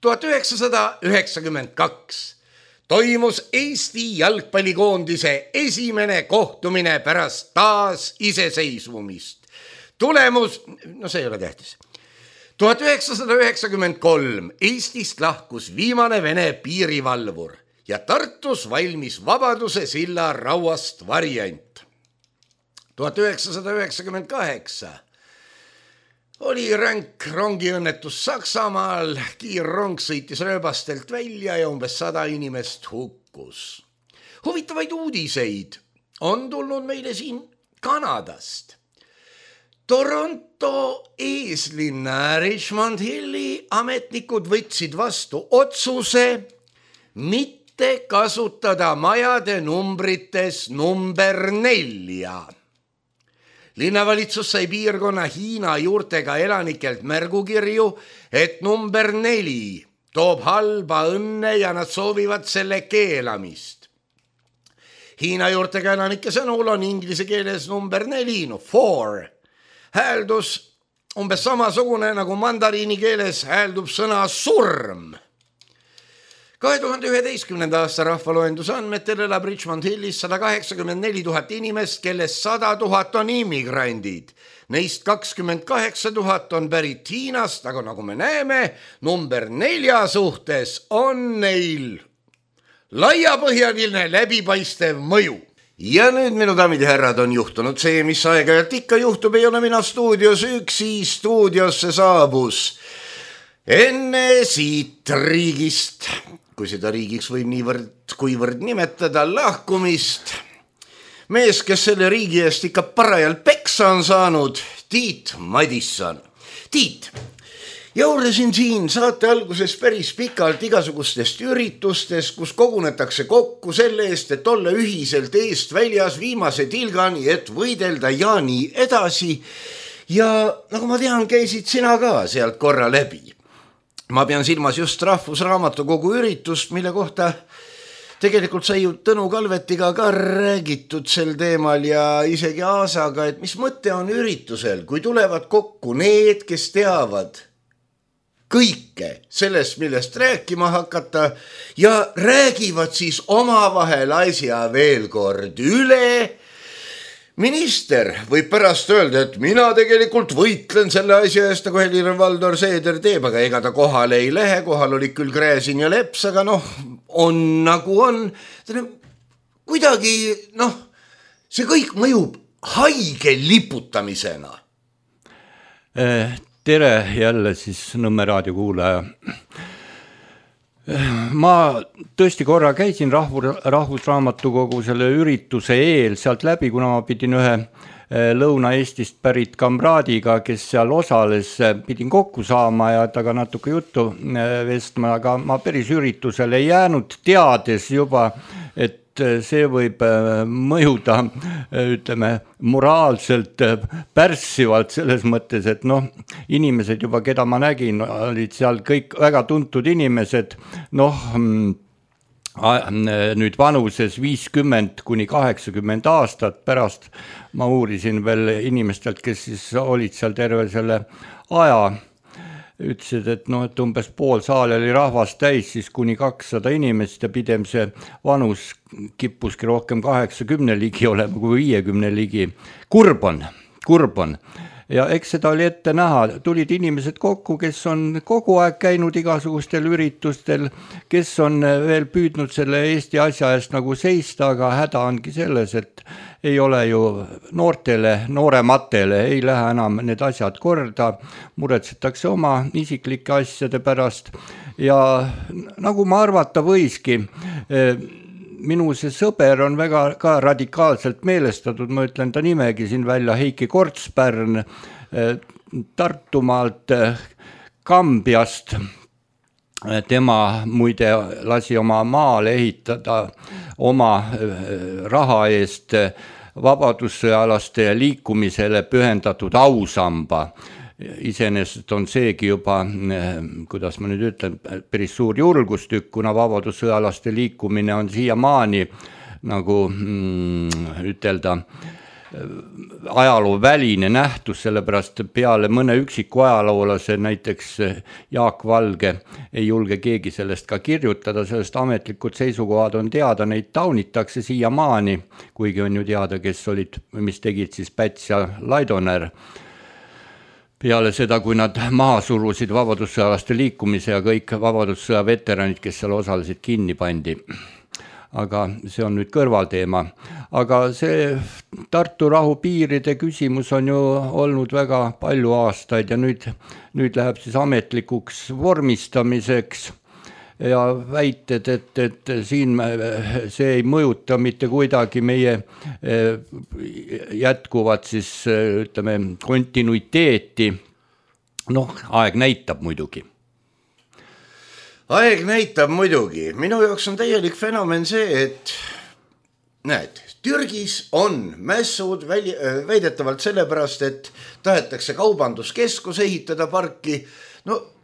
1992 toimus Eesti jalgpallikoondise esimene kohtumine pärast taas iseseisvumist. Tulemus, no see ei ole tähtis. 1993 Eestist lahkus viimane Vene piirivalvur ja Tartus valmis Vabaduse silla rauast variant. 1998 oli ränk rongiõnnetus Saksamaal, kiirrong sõitis rööbastelt välja ja umbes 100 inimest hukkus. Huvitavaid uudiseid on tulnud meile siin Kanadast. Toronto eeslinna Richmond Hilli ametnikud võtsid vastu otsuse mitte kasutada majade numbrites number 4. Linnavalitsus sai piirkonna Hiina juurtega elanikelt märgukirju, et number 4 toob halba õnne ja nad soovivad selle keelamist. Hiina juurtega elanike sõnul on inglise keeles number 4, 4. Hääldus umbes samasugune nagu mandariini keeles hääldub sõna surm. 2011. aasta rahvaloenduse andmetel elab Richmond Hillis 184 000 inimest, kellest 100 000 on immigrandid. Neist 28 000 on pärit Hiinast, aga nagu me näeme, number 4 suhtes on neil laiapõhjaline läbipaistev mõju. Ja nüüd, minu daamid ja härrad, on juhtunud see, mis aeg-ajalt ikka juhtub, ei ole mina stuudios üksi, stuudiosse saabus enne siit riigist, kui seda riigiks võib niivõrd kuivõrd nimetada, lahkumist. Mees, kes selle riigi eest ikka parajalt peksa on saanud, Tiit Madisson. Tiit, jaurasin siin saate alguses päris pikalt igasugustest üritustest, kus kogunetakse kokku selle eest, et olla ühiselt eest väljas viimase tilgani, et võidelda ja nii edasi. Ja nagu ma tean, käisid sina ka sealt korra läbi. Ma pean silmas just Rahvusraamatukogu üritust, mille kohta tegelikult sai ju Tõnu Kalvetiga ka räägitud sel teemal ja isegi Aasaga, et mis mõte on üritusel, kui tulevad kokku need, kes teavad kõike sellest, millest rääkima hakata ja räägivad siis omavahel asja veel kord üle. Minister võib pärast öelda, et mina tegelikult võitlen selle asja eest, nagu Helir-Valdor Seeder teeb, aga ega ta kohale ei lähe, kohal oli küll Gräzin ja Leps, aga on nagu on. Kuidagi, see kõik mõjub haige liputamisena. Tere jälle siis Nõmme raadio kuulaja. Ma tõesti korra käisin Rahvusraamatukogu selle ürituse eel sealt läbi, kuna ma pidin ühe Lõuna-Eestist pärit kamraadiga, kes seal osales, pidin kokku saama ja taga natuke juttu vestma, aga ma päris üritusele ei jäänud, teades juba, et see võib mõjuda, ütleme, moraalselt pärssivalt selles mõttes, et inimesed juba, keda ma nägin, olid seal kõik väga tuntud inimesed, nüüd vanuses 50 kuni 80 aastat. Pärast ma uurisin veel inimestelt, kes siis olid seal terve selle aja. ütlesid, et et umbes pool saali oli rahvast täis, siis kuni 200 inimest ja pidem see vanus kippuski rohkem 80 ligi olema kui 50 ligi. Kurb on. Ja eks seda oli ette näha, tulid inimesed kokku, kes on kogu aeg käinud igasugustel üritustel, kes on veel püüdnud selle Eesti asja eest nagu seista, aga häda ongi selles, et ei ole ju noorematele ei lähe enam need asjad korda, muretsetakse oma isiklike asjade pärast ja nagu ma arvata võiski, minu see sõber on väga ka radikaalselt meelestatud, ma ütlen ta nimegi siin välja, Heiki Kortspärn Tartumaalt Kambiast. Tema muide lasi oma maale ehitada oma raha eest vabadussõjalaste liikumisele pühendatud ausamba. Iseenesest on seegi juba, kuidas ma nüüd ütlen, päris suur julgustükk, kuna vabadussõjalaste liikumine on siiamaani nagu ütelda ajaloo väline nähtus, sellepärast peale mõne üksiku ajaloolase, näiteks Jaak Valge, ei julge keegi sellest ka kirjutada, sellest ametlikud seisukohad on teada, neid taunitakse siiamaani, kuigi on ju teada, kes olid, mis tegid siis Päts ja Laidoner. Peale seda, kui nad maha surusid vabadussõjalaste liikumise ja kõik vabadussõja veteranid, kes seal osalesid, kinni pandi. Aga see on nüüd kõrvalteema. Aga see Tartu rahu piiride küsimus on ju olnud väga palju aastaid ja nüüd läheb siis ametlikuks vormistamiseks ja väited, et siin see ei mõjuta mitte kuidagi meie jätkuvat siis ütleme kontinuiteeti. Aeg näitab muidugi. Aeg näitab muidugi. Minu jaoks on täielik fenomen see, et näed, Türgis on mässud väidetavalt sellepärast, et tahetakse kaubanduskeskus ehitada parki.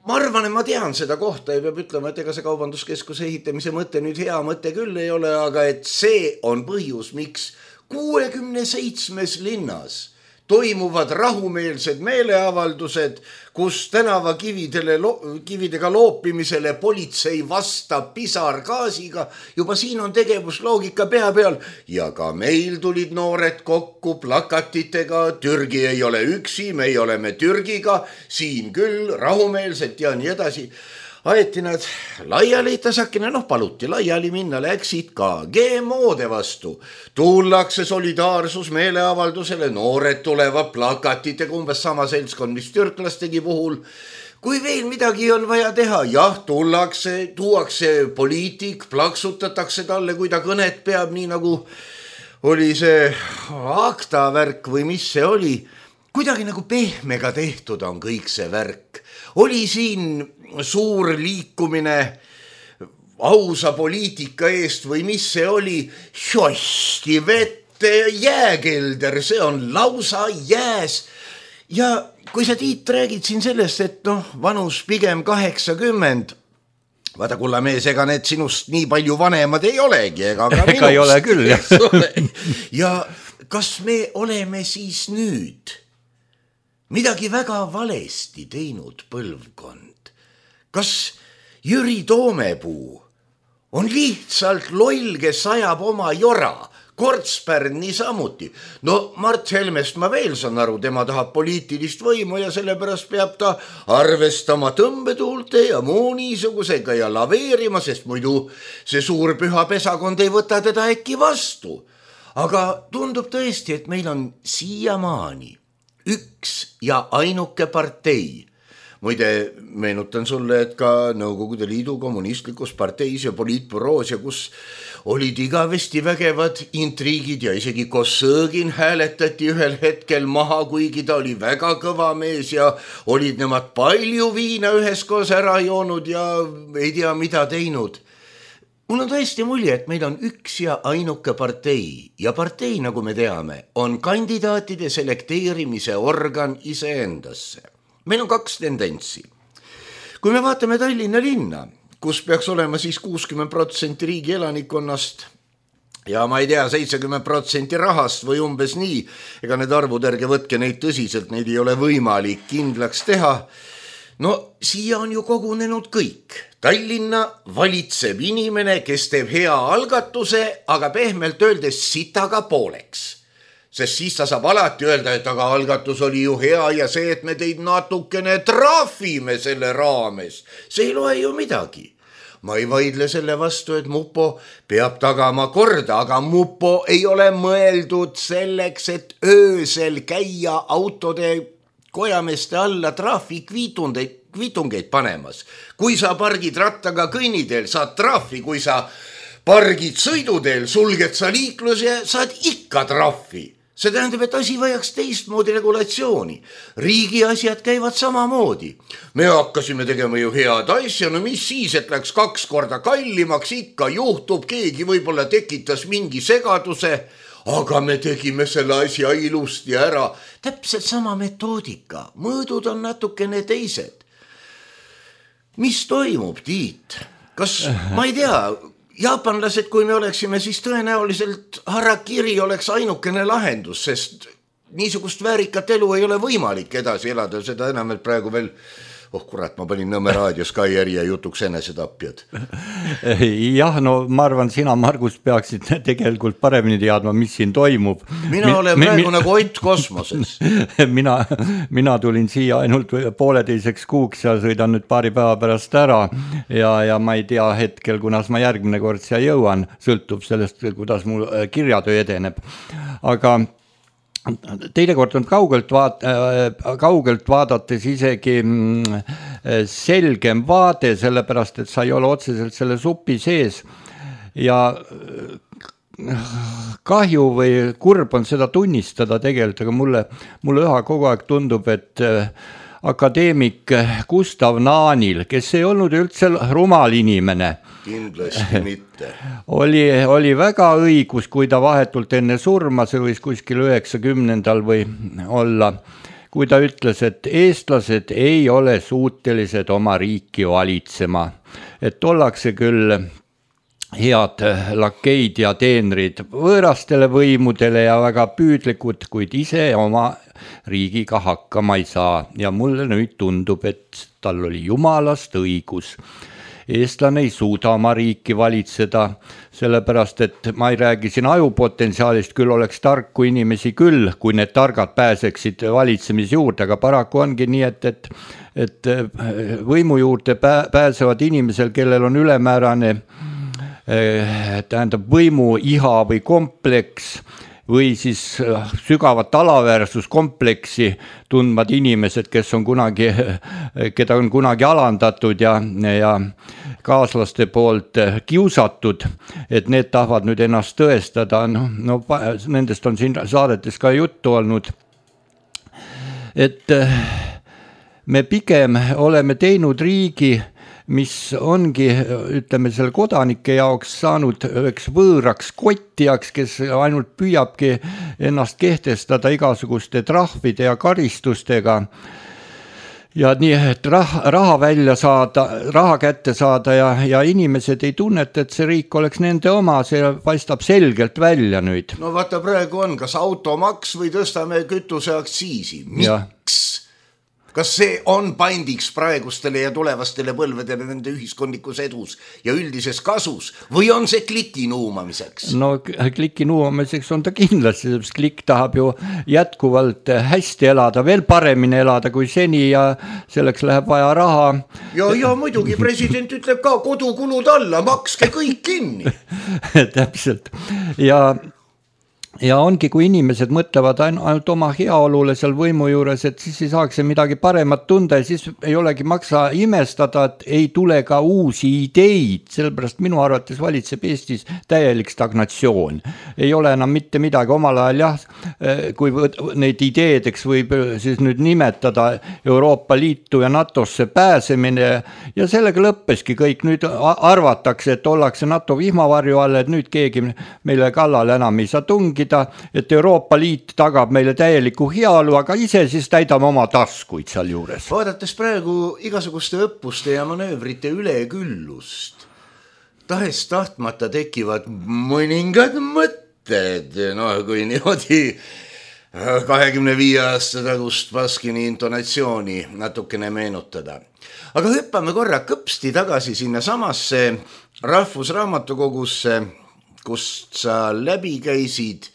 Ma arvan, et ma tean seda kohta ja peab ütlema, et ega see kaubanduskeskuse ehitamise mõte nüüd hea mõte küll ei ole, aga et see on põhjus, miks 67 linnas toimuvad rahumeelsed meeleavaldused, kus tänavakividega loopimisele politsei vastab pisargaasiga. Juba siin on tegevusloogika pea peal ja ka meil tulid noored kokku plakatitega. Türgi ei ole üksi, me oleme Türgiga, siin küll rahumeelselt ja nii edasi. Aeti nad laiali, tasakene, paluti laiali minna, läksid ka GMO-de vastu. Tullakse solidaarsus meeleavaldusele, noored tulevad plakatitega, umbes sama seltskond, mis türklastegi puhul. Kui veel midagi on vaja teha, jah, tuuakse poliitik, plaksutatakse talle, kui ta kõnet peab, nii nagu oli see akta värk või mis see oli. Kuidagi nagu pehmega tehtud on kõik see värk. Oli siin suur liikumine ausa poliitika eest või mis see oli, šosti vette jääkelder, see on lausa jääs. Ja kui sa Tiit räägid siin sellest, et vanus pigem 80, vaata kulla mees, ega need sinust nii palju vanemad ei olegi, ega ka minust. Ega ei ole küll, jah. Ja kas me oleme siis nüüd midagi väga valesti teinud põlvkond? Kas Jüri Toomepuu on lihtsalt loll, kes ajab oma jora? Kortspärn niisamuti. Mart Helmest ma veel saan aru, tema tahab poliitilist võimu ja sellepärast peab ta arvestama tõmbetuulte ja muu niisugusega ja laveerima, sest muidu see suur püha pesakond ei võta teda äkki vastu. Aga tundub tõesti, et meil on siiamaani üks ja ainuke partei. Muide, meenutan sulle, et ka Nõukogude Liidu kommunistlikus parteis ja poliitbüroos ja kus olid igavesti vägevad intriigid ja isegi Kossõgin hääletati ühel hetkel maha, kuigi ta oli väga kõva mees ja olid nemad palju viina üheskoos ära joonud ja ei tea mida teinud. Mul on tõesti mulje, et meil on üks ja ainuke partei ja partei, nagu me teame, on kandidaatide selekteerimise organ iseendasse. Meil on kaks tendentsi. Kui me vaatame Tallinna linna, kus peaks olema siis 60% riigi elanikonnast ja ma ei tea, 70% rahast või umbes nii, ega need arvud ärge võtke neid tõsiselt, neid ei ole võimalik kindlaks teha. no siia on ju kogunenud kõik. Tallinna valitseb inimene, kes teeb hea algatuse, aga pehmelt öeldes sitaga pooleks. Sest siis ta saab alati öelda, et aga algatus oli ju hea ja see, et me teid natukene trahvime selle raames, see ei loe ju midagi. Ma ei vaidle selle vastu, et Mupo peab tagama korda, aga Mupo ei ole mõeldud selleks, et öösel käia autode kojameeste alla trahvikviitungeid panemas. Kui sa pargid rattaga kõnniteel, saad trahvi, kui sa pargid sõiduteel, sulged sa liikluse, saad ikka trahvi. See tähendab, et asi vajaks teistmoodi regulatsiooni. Riigi asjad käivad samamoodi. Me hakkasime tegema ju head asja, no mis siis, et läks 2 korda kallimaks, ikka juhtub, keegi võib-olla tekitas mingi segaduse, aga me tegime selle asja ilusti ära. Täpselt sama metoodika, mõõdud on natukene teised. Mis toimub, Tiit? Kas, ma ei tea, jaapanlased, kui me oleksime, siis tõenäoliselt harakiri oleks ainukene lahendus, sest niisugust väärikat elu ei ole võimalik edasi elada, seda enam, et praegu veel, kurat, ma panin Nõmme raadios ka järje jutuks enesetapjad. Jah, no ma arvan, sina, Margus, peaksid tegelikult paremini teadma, mis siin toimub. Mina olen praegu nagu Ott kosmoses. mina tulin siia ainult 1,5 kuuks ja sõidan nüüd paari päeva pärast ära ja ma ei tea hetkel, kunas ma järgmine kord siia jõuan, sõltub sellest, kuidas mu kirjatöö edeneb. Aga teinekord on kaugelt vaadates isegi selgem vaade, sellepärast, et sa ei ole otseselt selle supi sees ja kahju või kurb on seda tunnistada tegelikult, aga mulle üha kogu aeg tundub, et akadeemik Gustav Naanil, kes ei olnud üldse rumal inimene, kindlasti mitte. Oli väga õigus, kui ta vahetult enne surma, see võis kuskil 90. või olla, kui ta ütles, et eestlased ei ole suutelised oma riiki valitsema, et ollakse küll head lakeid ja teenrid võõrastele võimudele ja väga püüdlikud, kuid ise oma riigiga hakkama ei saa ja mulle nüüd tundub, et tal oli jumalast õigus. Eestlane ei suuda oma riiki valitseda, sellepärast, et ma ei räägi siin ajupotentsiaalist, küll oleks tarku inimesi küll, kui need targad pääseksid valitsemise juurde, aga paraku ongi nii, et võimu juurde pääsevad inimesel, kellel on ülemäärane tähendab võimu iha või kompleks või siis sügavat alaväärsuskompleksi tundvad inimesed, keda on kunagi alandatud ja kaaslaste poolt kiusatud, et need tahavad nüüd ennast tõestada, no nendest on siin saadetes ka juttu olnud, et me pigem oleme teinud riigi, mis ongi, ütleme, selle kodanike jaoks saanud üheks võõraks kottijaks, kes ainult püüabki ennast kehtestada igasuguste trahvide ja karistustega. Ja nii, et raha kätte saada ja inimesed ei tunneta, et see riik oleks nende oma, see paistab selgelt välja nüüd. No vaata, praegu on, kas automaks või tõstame kütuseaktsiisi? Miks? Kas see on pandiks praegustele ja tulevastele põlvedele nende ühiskondlikus edus ja üldises kasus või on see kliki nuumamiseks? No kliki nuumamiseks on ta kindlasti, sest klikk tahab ju jätkuvalt hästi elada, veel paremini elada kui seni ja selleks läheb vaja raha. Ja muidugi president ütleb ka kodukulud alla, makske kõik kinni. Täpselt. Ja ongi, kui inimesed mõtlevad ainult oma heaolule seal võimu juures, et siis ei saaks midagi paremat tunda ja siis ei olegi maksa imestada, et ei tule ka uusi ideid, sellepärast minu arvates valitseb Eestis täielik stagnatsioon. Ei ole enam mitte midagi omal ajal, kui neid ideedeks võib siis nüüd nimetada Euroopa Liitu ja NATOsse pääsemine ja sellega lõppeski kõik, nüüd arvatakse, et ollakse NATO vihmavarju all, et nüüd keegi meile kallale enam ei saa tungi, et Euroopa Liit tagab meile täieliku heaolu, aga ise siis täidame oma taskuid seal juures. Vaadates praegu igasuguste õppuste ja manöövrite üleküllust, tahes tahtmata tekivad mõningad mõtted, kui niimoodi 25 aasta tagust Baskini intonatsiooni natukene meenutada. Aga hüppame korra kõpsti tagasi sinna samasse Rahvusraamatukogusse, kust sa läbi käisid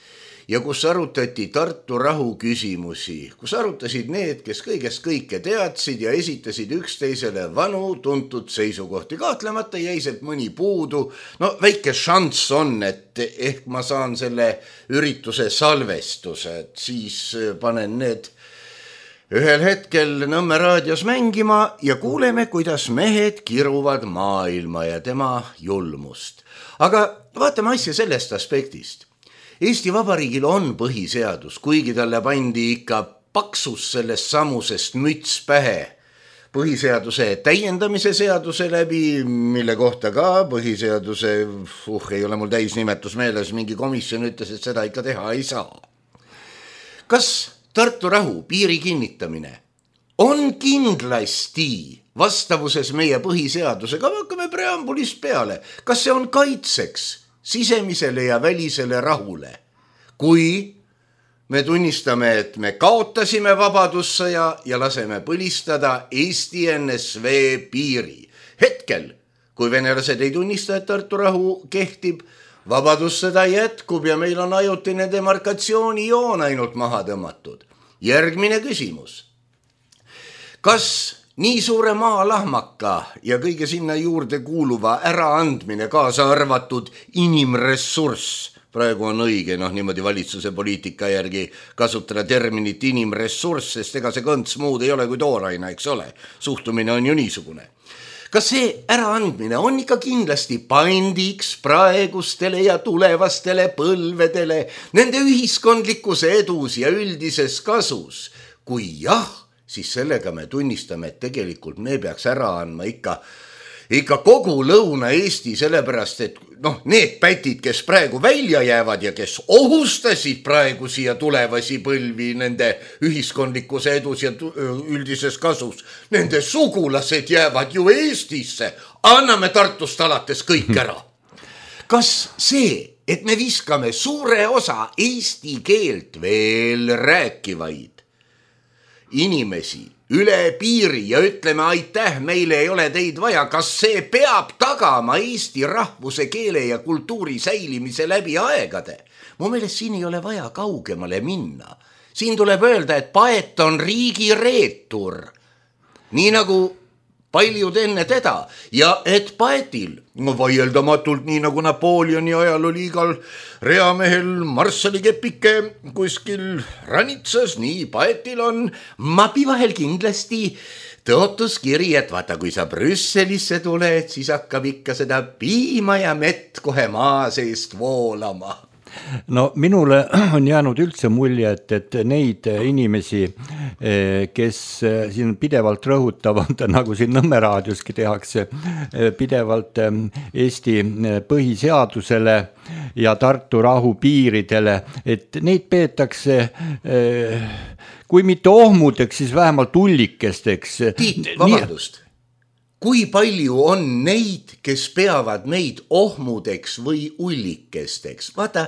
ja kus arutati Tartu rahu küsimusi, kus arutasid need, kes kõigest kõike teadsid ja esitasid üksteisele vanu tuntud seisukohti. Kahtlemata jäi sealt mõni puudu. No väike šanss on, et ehk ma saan selle ürituse salvestuse, et siis panen need ühel hetkel Nõmme raadios mängima ja kuuleme, kuidas mehed kiruvad maailma ja tema julmust. Aga vaatame asja sellest aspektist. Eesti Vabariigil on põhiseadus, kuigi talle pandi ikka paksus sellest samusest müts pähe põhiseaduse täiendamise seaduse läbi, mille kohta ka põhiseaduse, ei ole mul täisnimetus meeles, mingi komisjon ütles, et seda ikka teha ei saa. Kas Tartu rahu piiri kinnitamine on kindlasti vastavuses meie põhiseadusega? Hakkame preambulist peale. Kas see on kaitseks sisemisele ja välisele rahule, kui me tunnistame, et me kaotasime vabadussõja ja laseme põlistada Eesti NSV piiri. Hetkel, kui venelased ei tunnista, et Tartu rahu kehtib, vabadussõda jätkub ja meil on ajutine demarkatsioonijoon ainult maha tõmmatud. Järgmine küsimus. Kas nii suure maalahmaka ja kõige sinna juurde kuuluva äraandmine, kaasa arvatud inimressurss, praegu on õige niimoodi valitsuse poliitika järgi kasutada terminit inimressurss, sest ega see kõnts muud ei ole kui tooraina, eks ole, suhtumine on ju niisugune. Kas see äraandmine on ikka kindlasti pandiks praegustele ja tulevastele põlvedele, nende ühiskondlikus edus ja üldises kasus? Kui jah, siis sellega me tunnistame, et tegelikult me peaks ära andma ikka kogu Lõuna-Eesti, sellepärast, et need pätid, kes praegu välja jäävad ja kes ohustasid praegu siia tulevasi põlvi nende ühiskondlikus edus ja üldises kasus, nende sugulased jäävad ju Eestisse. Anname Tartust alates kõik ära. Kas see, et me viskame suure osa eesti keelt veel rääkivaid inimesi üle piiri ja ütleme aitäh, meile ei ole teid vaja, kas see peab tagama Eesti rahvuse, keele ja kultuuri säilimise läbi aegade? Mu meelest siin ei ole vaja kaugemale minna. Siin tuleb öelda, et Paet on riigi reetur, nii nagu paljud enne teda, ja et Paetil, vaieldamatult nii nagu Napoleoni ajal oli igal reamehel marssalikepike kuskil ranitsas, nii Paetil on mapi vahel kindlasti tõotuskiri, et vaata, kui sa Brüsselisse tuled, siis hakkab ikka seda piima ja mett kohe maa seest voolama. No minule on jäänud üldse mulje, et neid inimesi, kes siin pidevalt rõhutavad, nagu siin Nõmme raadioski tehakse, pidevalt Eesti põhiseadusele ja Tartu rahu piiridele, et neid peetakse kui mitte ohmudeks, siis vähemalt ullikesteks. Tiit, vabandust. Kui palju on neid, kes peavad meid ohmudeks või ullikesteks? Vaata,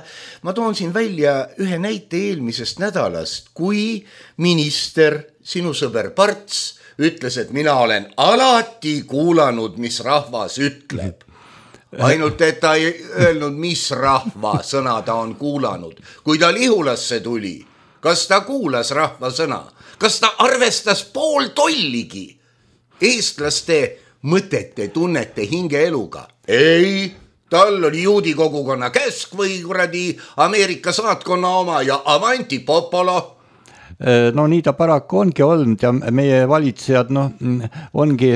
ma toon siin välja ühe näite eelmisest nädalast, kui minister, sinu sõber Parts, ütles, et mina olen alati kuulanud, mis rahvas ütleb. Ainult, et ta ei öelnud, mis rahva sõna ta on kuulanud. Kui ta Lihulasse tuli, kas ta kuulas rahva sõna? Kas ta arvestas pool tolligi eestlaste mõtete, tunnete, hingeeluga? Ei, tal oli juudi kogukonna käsk või kuradi Ameerika saatkonna oma ja avanti popolo. No nii ta paraku ongi olnud ja meie valitsejad ongi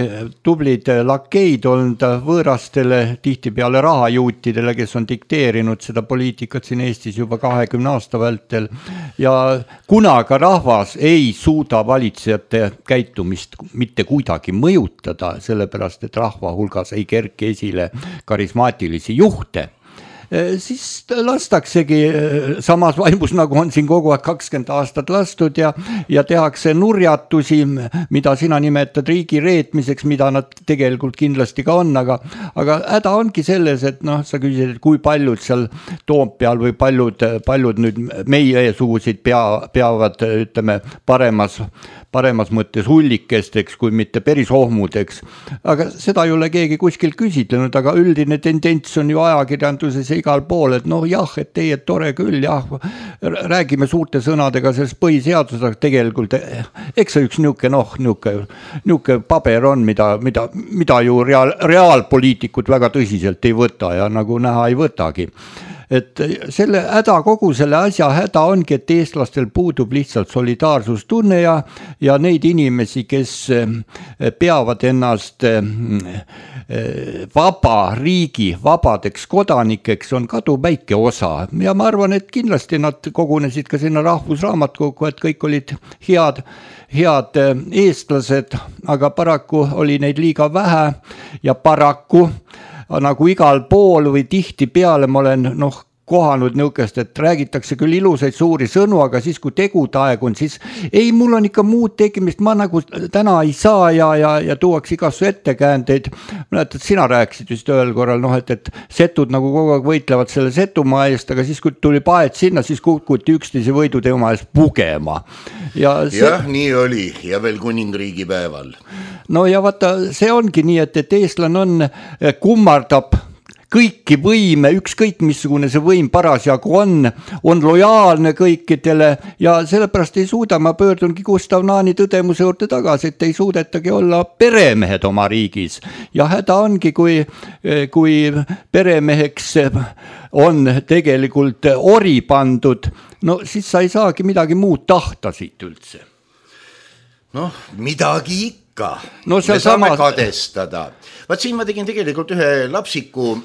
tublid lakeid olnud võõrastele, tihtipeale rahajuutidele, kes on dikteerinud seda poliitikat siin Eestis juba 20 aasta vältel ja kuna ka rahvas ei suuda valitsejate käitumist mitte kuidagi mõjutada, sellepärast et rahva hulgas ei kerki esile karismaatilisi juhte, siis lastaksegi samas vaimus, nagu on siin kogu aeg 20 aastat lastud ja tehakse nurjatusi, mida sina nimetad riigi reetmiseks, mida nad tegelikult kindlasti ka on, aga häda ongi selles, et noh, sa küsisid, et kui paljud seal Toompeal või paljud nüüd meiesuguseid peavad, ütleme, paremas mõttes hullikesteks, kui mitte päris ohmudeks. Aga seda ei ole keegi kuskil küsitlenud, aga üldine tendents on ju ajakirjanduses ja igal pool, et noh jah, et teie tore küll, jah, räägime suurte sõnadega sellest põhiseadusest, aga tegelikult eks see üks niuke paber on, mida ju reaalpoliitikud väga tõsiselt ei võta ja nagu näha ei võtagi. Et kogu selle asja häda ongi, et eestlastel puudub lihtsalt solidaarsustunne ja neid inimesi, kes peavad ennast vaba riigi, vabadeks kodanikeks, on kaduväike osa. Ja ma arvan, et kindlasti nad kogunesid ka sinna Rahvusraamatukokku, et kõik olid head eestlased, aga paraku oli neid liiga vähe ja paraku nagu igal pool või tihti peale ma olen kohanud nõukest, et räägitakse küll ilusaid suuri sõnu, aga siis kui tegude aeg on, siis ei, mul on ikka muud tegimist, ma nagu täna ei saa ja tuuaks igasse ettekäändeid. Mäletad, sina rääkisid vist ühel korral, et setud nagu kogu aeg võitlevad selle Setumaa eest, aga siis kui tuli paet sinna, siis kukuti üksteise võiduteema eest pugema. Jah, nii oli ja veel kuningriigi päeval. No ja vaata, see ongi nii, et eestlane kummardab kõiki võime, ükskõik missugune see võim parasjagu on lojaalne kõikidele ja sellepärast ei suuda, ma pöördungi Gustav Naani tõdemuse juurde tagasi, et ei suudetagi olla peremehed oma riigis ja häda ongi, kui peremeheks on tegelikult ori pandud, no siis sa ei saagi midagi muud tahta siit üldse. Noh, midagi ikka. No, me saame kadestada. Vaat siin ma tegin tegelikult ühe lapsiku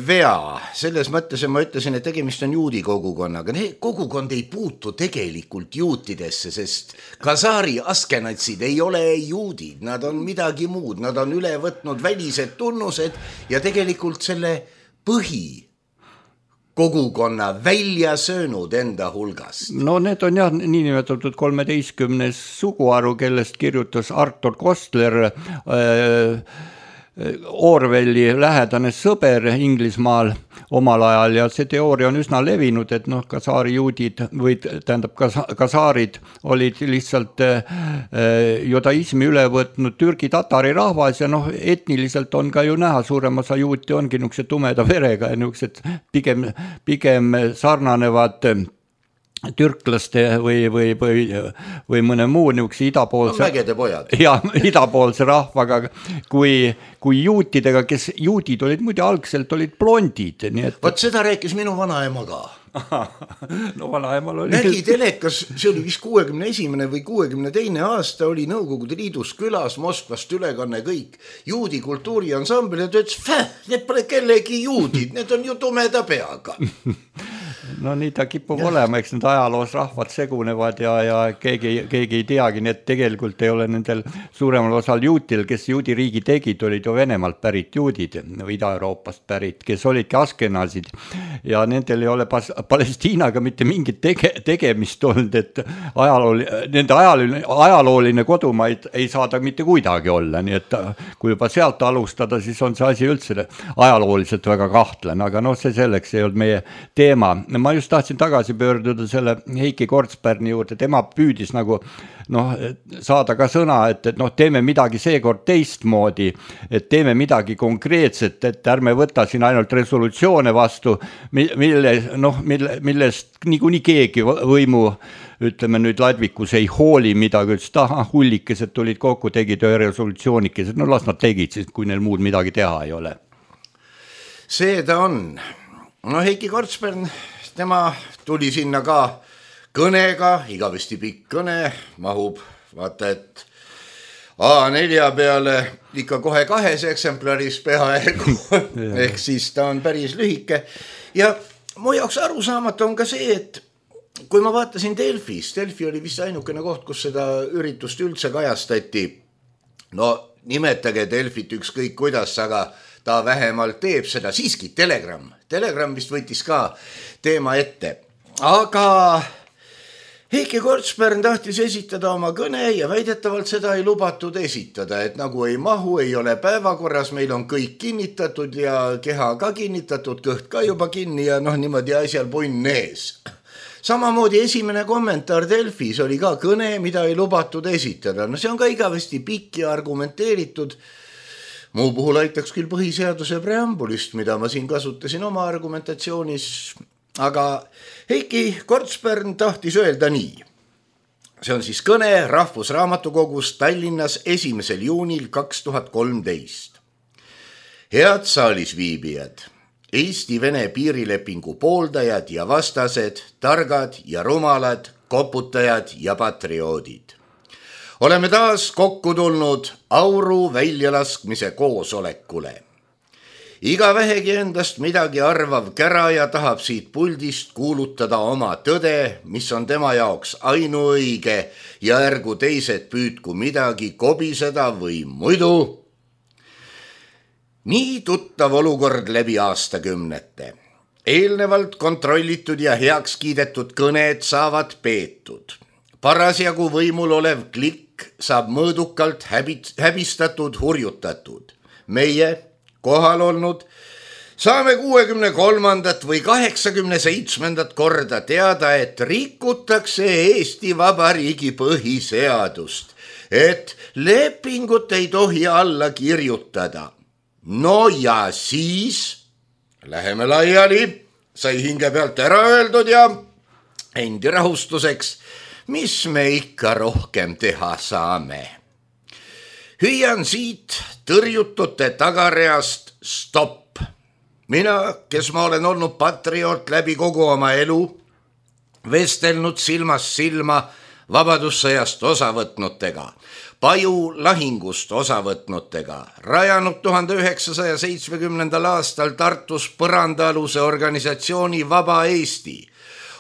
vea, selles mõttes ma ütlesin, et tegemist on juudi kogukonnaga. Kogukond ei puutu tegelikult juutidesse, sest Kasaari askenatsid ei ole juudid, nad on midagi muud, nad on üle võtnud välised tunnused ja tegelikult selle kogukonna välja söönud enda hulgast. No need on jah niinimetatud 13 suguharu, kellest kirjutas Arthur Koestler, Orwelli lähedane sõber Inglismaal omal ajal ja see teooria on üsna levinud, et kasaari juudid või tähendab kasaarid olid lihtsalt judaismi üle võtnud türgi-tatari rahvas ja etniliselt on ka ju näha, suurem osa juuti ongi niisuguse tumeda verega ja niisugused pigem sarnanevad türklaste või mõne muu niisuguse idapoolse rahvaga kui juutidega, kes juudid olid muide algselt olid blondid. Vot seda rääkis minu vanaema ka. No vanaemal oli. Nägi telekas, see oli vist 61. või 62. aasta oli Nõukogude Liidus külas Moskvast ülekanne kõik juudi kultuuriansambel ja ta ütles, need pole kellegi juudid, need on ju tumeda peaga. No nii ta kipub olema, eks need ajaloos rahvad segunevad ja keegi ei teagi, nii et tegelikult ei ole nendel suuremal osal juutil, kes juudi riigi tegid, olid ju Venemaalt pärit juudid või Ida-Euroopast pärit, kes olidki askenasid ja nendel ei ole Palestiinaga mitte mingit tegemist olnud, et nende ajalooline kodumaid ei saada mitte kuidagi olla, nii et kui juba sealt alustada, siis on see asi üldse ajalooliselt väga kahtlane, aga see selleks ei olnud meie teema. Ma just tahtsin tagasi pöörduda selle Heiki Kortsberni juurde, tema püüdis nagu saada ka sõna, et teeme midagi seekord teistmoodi, et teeme midagi konkreetset, et ärme võta siin ainult resolutsioone vastu, millest niikuinii keegi võimu, ütleme nüüd Ladvikus ei hooli midagi, ütles, hullikesed tulid kokku, tegid ühe resolutsioonikesed, las nad tegid siis, kui neil muud midagi teha ei ole. See ta on. Heiki Kortsbern, tema tuli sinna ka kõnega, igavesti pikk kõne, mahub, vaata, et A4 peale ikka kohe 2 eksemplaris peaaegu, ehk siis ta on päris lühike. Ja mu jaoks arusaamatu on ka see, et kui ma vaatasin Delfis, Delfi oli vist ainukene koht, kus seda üritust üldse kajastati. No nimetage Delfit ükskõik kuidas, aga ta vähemalt teeb seda, siiski Telegram vist võttis ka teema ette, aga Heiki Kortsberg tahtis esitada oma kõne ja väidetavalt seda ei lubatud esitada, et nagu ei mahu, ei ole päevakorras, meil on kõik kinnitatud ja keha ka kinnitatud, kõht ka juba kinni ja niimoodi asjal punn ees. Samamoodi esimene kommentaar Delfis oli ka kõne, mida ei lubatud esitada. See on ka igavesti pikk ja argumenteeritud. Muu puhul aitaks küll põhiseaduse preambulist, mida ma siin kasutasin oma argumentatsioonis. Aga Heiki Kortsberg tahtis öelda nii. See on siis kõne Rahvusraamatukogus Tallinnas 1. juunil 2013. Head saalisviibijad, Eesti-Vene piirilepingu pooldajad ja vastased, targad ja rumalad, koputajad ja patrioodid. Oleme taas kokku tulnud auru väljalaskmise koosolekule. Iga vähegi endast midagi arvav käraja tahab siit puldist kuulutada oma tõde, mis on tema jaoks ainuõige ja ärgu teised püüdku midagi kobiseda või muidu. Nii tuttav olukord läbi aastakümnete. Eelnevalt kontrollitud ja heaks kiidetud kõned saavad peetud. Parasjagu võimul olev klikk saab mõõdukalt häbistatud, hurjutatud. Meie kohal olnud, saame 63. või 87. korda teada, et rikutakse Eesti Vabariigi põhiseadust, et lepingut ei tohi alla kirjutada. No ja siis läheme laiali, sai hinge pealt ära öeldud ja endi rahustuseks, mis me ikka rohkem teha saame. Hüüan siit tõrjutute tagareast stopp. Mina, kes ma olen olnud patrioot läbi kogu oma elu, vestelnud silmast silma vabadussõjast osavõtnutega, Paju lahingust osavõtnutega, rajanud 1970. aastal Tartus põrandaaluse organisatsiooni Vaba Eesti,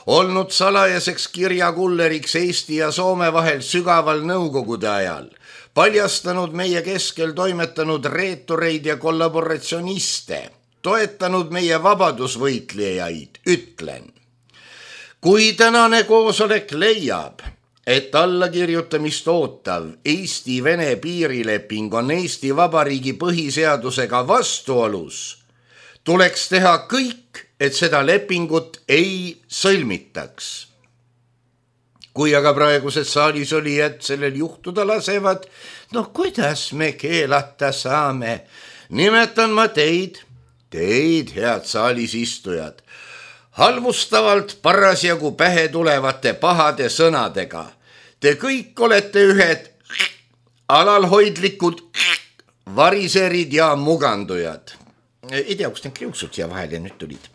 olnud salajaseks kirjakulleriks Eesti ja Soome vahel sügaval nõukogude ajal, paljastanud meie keskel toimetanud reetureid ja kollaboratsioniste, toetanud meie vabadusvõitlejaid, ütlen. Kui tänane koosolek leiab, et allakirjutamist ootav Eesti-Vene piirileping on Eesti Vabariigi põhiseadusega vastuolus, tuleks teha kõik, et seda lepingut ei sõlmitaks. Kui aga praegused saalis olijad sellel juhtuda lasevad, kuidas me keelata saame? Nimetan ma teid, head saalis istujad, halvustavalt parasjagu pähe tulevate pahade sõnadega. Te kõik olete ühed alalhoidlikud variserid ja mugandujad. Ei tea, kus need kriuksud siia vahele nüüd tulid.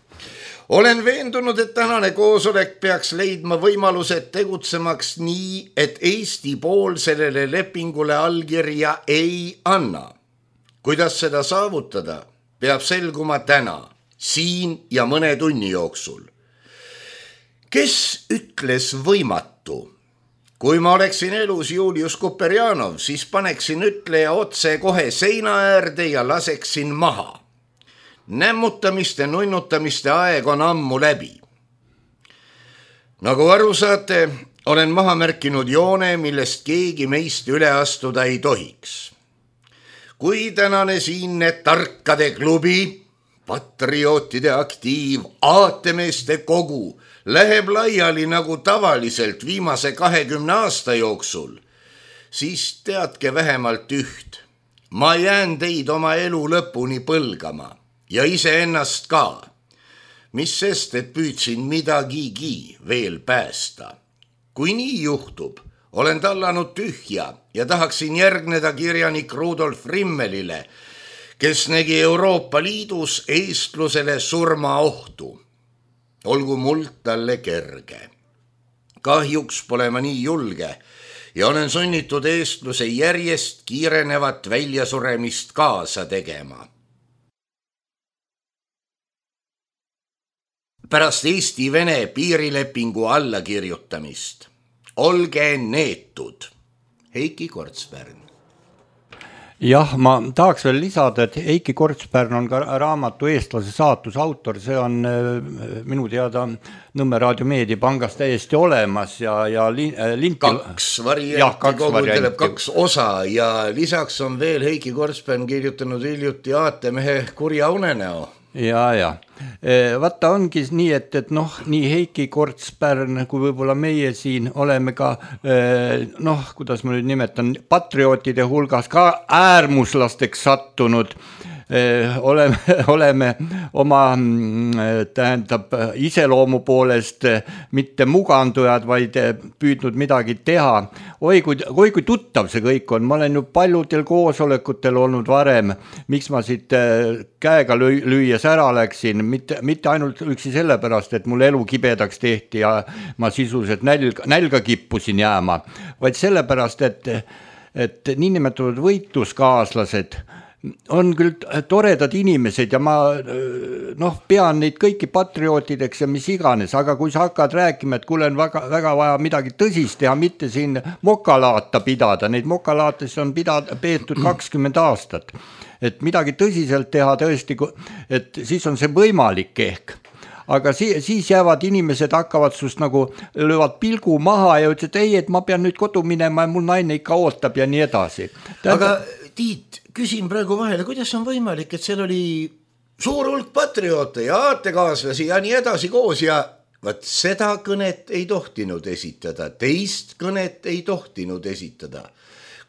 Olen veendunud, et tänane koosolek peaks leidma võimalused tegutsemaks nii, et Eesti pool sellele lepingule allkirja ei anna. Kuidas seda saavutada, peab selguma täna, siin ja mõne tunni jooksul. Kes ütles võimatu? Kui ma oleksin elus Julius Kuperjanov, siis paneksin ütleja otse kohe seina äärde ja laseksin maha. Nämmutamiste, nunnutamiste aeg on ammu läbi. Nagu aru saate, olen maha märkinud joone, millest keegi meist üle astuda ei tohiks. Kui tänane siinne tarkade klubi, patriootide aktiiv, aatemeeste kogu läheb laiali nagu tavaliselt viimase 20 aasta jooksul, siis teadke vähemalt üht. Ma jään teid oma elu lõpuni põlgama. Ja iseennast ka, mis sest, et püüdsin midagigi veel päästa. Kui nii juhtub, olen tallanud tühja ja tahaksin järgneda kirjanik Rudolf Rimmelile, kes nägi Euroopa Liidus eestlusele surmaohtu. Olgu muld talle kerge. Kahjuks pole ma nii julge ja olen sunnitud eestluse järjest kiirenevat väljasuremist kaasa tegema. Pärast Eesti-Vene piirilepingu allakirjutamist. Olge neetud. Heiki Kortsberg. Jah, ma tahaks veel lisada, et Heiki Kortspärn on ka raamatu Eestlase saatus autor, see on minu teada Nõmme Raadio Meediapangas täiesti olemas ja kaks varianti koguteleb, kaks osa ja lisaks on veel Heiki Kortspärn kirjutanud hiljuti Aatemehe kurja unenäo. Ja. Vaata ongi nii, et noh, nii Heiki Kortspärn kui võib-olla meie siin oleme ka, kuidas ma nüüd nimetan, patriootide hulgas ka äärmuslasteks sattunud. Oleme oma iseloomu poolest mitte mugandujad, vaid püüdnud midagi teha. Oi kui tuttav see kõik on, ma olen ju paljudel koosolekutel olnud varem, miks ma siit käega lüües ära läksin, mitte ainult üksi sellepärast, et mul elu kibedaks tehti ja ma sisuliselt nälga kippusin jääma, vaid sellepärast, et niinimetatud võitluskaaslased on küll toredad inimesed ja ma pean neid kõiki patriootideks ja mis iganes, aga kui sa hakkad rääkima, et kuule on väga vaja midagi tõsist teha, mitte siin mokalaata pidada, neid mokalaates on peetud 20 aastat, et midagi tõsiselt teha tõesti, et siis on see võimalik ehk. Aga siis jäävad inimesed hakkavad sust nagu löövad pilgu maha ja ütlesid, ei, et ma pean nüüd kodu minema ja mul naine ikka ootab ja nii edasi. Aga Tiit, küsin praegu vahele, kuidas on võimalik, et seal oli suur hulk patrioote ja aatekaaslasi ja nii edasi koos ja vaat seda kõnet ei tohtinud esitada, teist kõnet ei tohtinud esitada.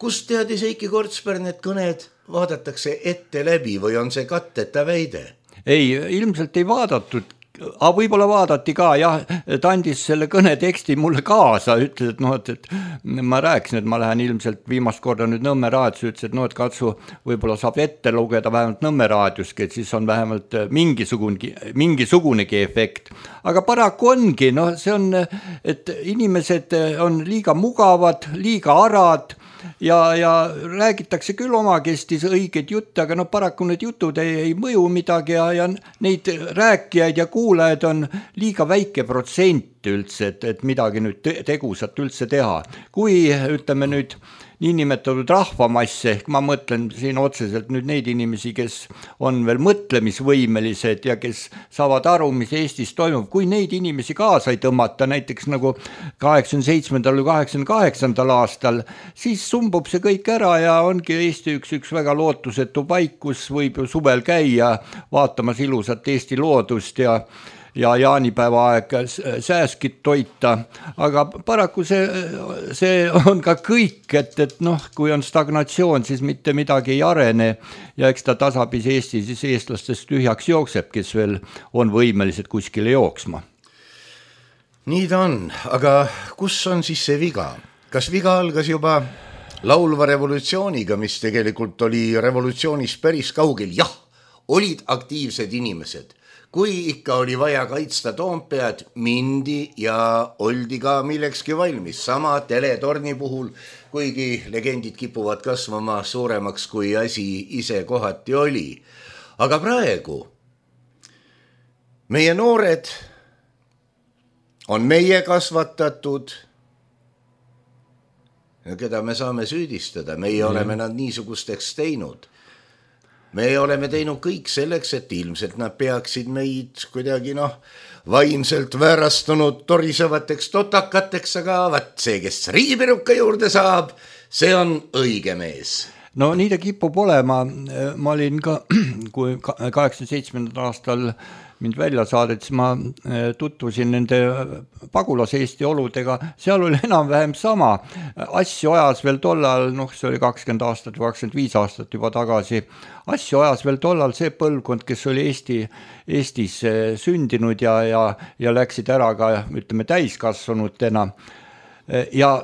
Kust teadis Heiki Kortspärn, et kõned vaadatakse ette läbi või on see katteta väide? Ei, ilmselt ei vaadatud. Aga võib-olla vaadati ka, jah, ta andis selle kõne teksti mulle kaasa, ütles, et ma rääkisin, et ma lähen ilmselt viimast korda nüüd Nõmme raadios, ütles, et katsu võib-olla saab ette lugeda vähemalt Nõmme raadioski, et siis on vähemalt mingisugunegi efekt. Aga paraku ongi, see on, et inimesed on liiga mugavad, liiga arad ja räägitakse küll omakestis õigeid jutte, aga paraku need jutud ei mõju midagi ja neid rääkijaid ja kuulajaid on liiga väike protsent üldse, et midagi nüüd tegusat üldse teha. Kui ütleme nüüd niinimetatud rahvamasse, ehk ma mõtlen siin otseselt nüüd neid inimesi, kes on veel mõtlemisvõimelised ja kes saavad aru, mis Eestis toimub, kui neid inimesi kaasa ei tõmmata, näiteks nagu 87. või 88. aastal, siis sumbub see kõik ära ja ongi Eesti üks väga lootusetu paik, kus võib ju suvel käia vaatamas ilusat Eesti loodust ja jaanipäeva aeg sääskit toita, aga paraku see on ka kõik, et kui on stagnatsioon, siis mitte midagi ei arene ja eks ta tasapisi Eesti siis eestlastest tühjaks jookseb, kes veel on võimelised kuskile jooksma. Nii ta on, aga kus on siis see viga? Kas viga algas juba laulva revolutsiooniga, mis tegelikult oli revolutsioonist päris kaugel? Jah, olid aktiivsed inimesed. Kui ikka oli vaja kaitsta Toompead, mindi ja oldi ka millekski valmis. Sama teletorni puhul, kuigi legendid kipuvad kasvama suuremaks, kui asi ise kohati oli. Aga praegu meie noored on meie kasvatatud, keda me saame süüdistada, meie oleme nad niisugusteks teinud. Me oleme teinud kõik selleks, et ilmselt nad peaksid meid kuidagi vaimselt väärastunud torisevateks totakateks, aga see, kes riigipiruka juurde saab, see on õige mees. No nii ta kipub olema, ma olin ka, kui 87. aastal mind välja saadet, siis ma tutvusin nende pagulas Eesti oludega, seal oli enam-vähem sama. Asju ajas veel tollal, see oli 20 aastat või 25 aastat juba tagasi, asju ajas veel tollal see põlvkond, kes oli Eestis sündinud ja läksid ära ka, ütleme, täiskasvanutena ja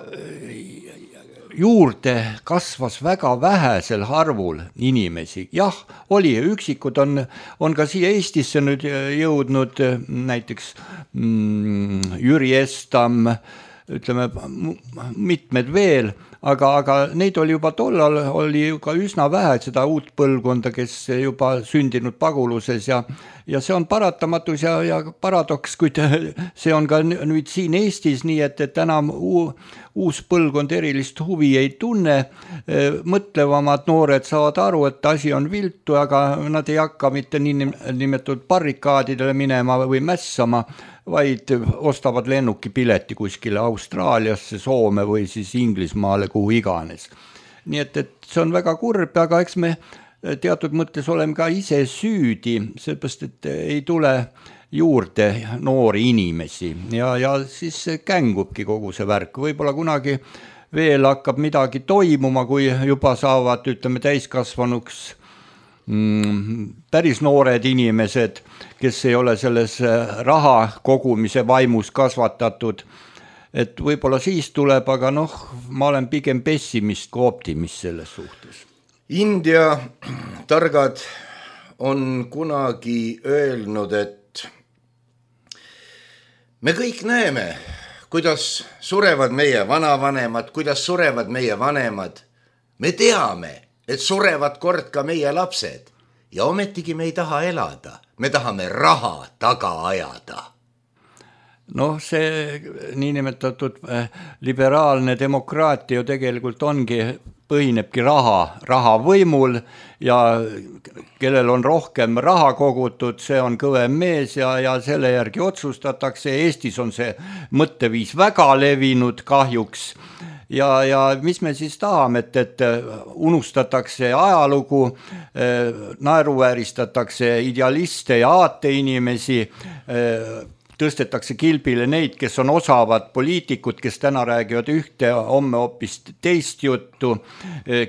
juurde kasvas väga vähesel arvul inimesi. Jah, oli, üksikud on ka siia Eestisse nüüd jõudnud, näiteks Jüri Estam, ütleme, mitmed veel, aga neid oli juba tollal, oli ju ka üsna vähe seda uut põlvkonda, kes juba sündinud paguluses ja ja see on paratamatus ja paradoks, kuid see on ka nüüd siin Eestis nii, et enam uus põlvkond erilist huvi ei tunne, mõtlevamad noored saavad aru, et asi on viltu, aga nad ei hakka mitte nimetatud barrikaadidele minema või mässama, vaid ostavad lennukipileti kuskile Austraaliasse, Soome või siis Inglismaale, kuhu iganes. Nii et see on väga kurb, aga eks me teatud mõttes oleme ka ise süüdi, sellepärast, et ei tule juurde noori inimesi ja siis kängubki kogu see värk. Võib-olla kunagi veel hakkab midagi toimuma, kui juba saavad, ütleme, täiskasvanuks päris noored inimesed, kes ei ole selles raha kogumise vaimus kasvatatud. Et võib-olla siis tuleb, aga ma olen pigem pessimist kui optimist selles suhtes. India targad on kunagi öelnud, et me kõik näeme, kuidas surevad meie vanavanemad, kuidas surevad meie vanemad. Me teame, et surevad kord ka meie lapsed ja ometigi me ei taha elada. Me tahame raha taga ajada. See niinimetatud liberaalne demokraatia ju tegelikult põhinebki raha võimul ja kellel on rohkem raha kogutud, see on kõvem mees ja selle järgi otsustatakse. Eestis on see mõtteviis väga levinud kahjuks ja mis me siis tahame, et unustatakse ajalugu, naeruvääristatakse idealiste ja aateinimesi, tõstetakse kilbile neid, kes on osavad poliitikud, kes täna räägivad ühte, homme hoopis teist juttu,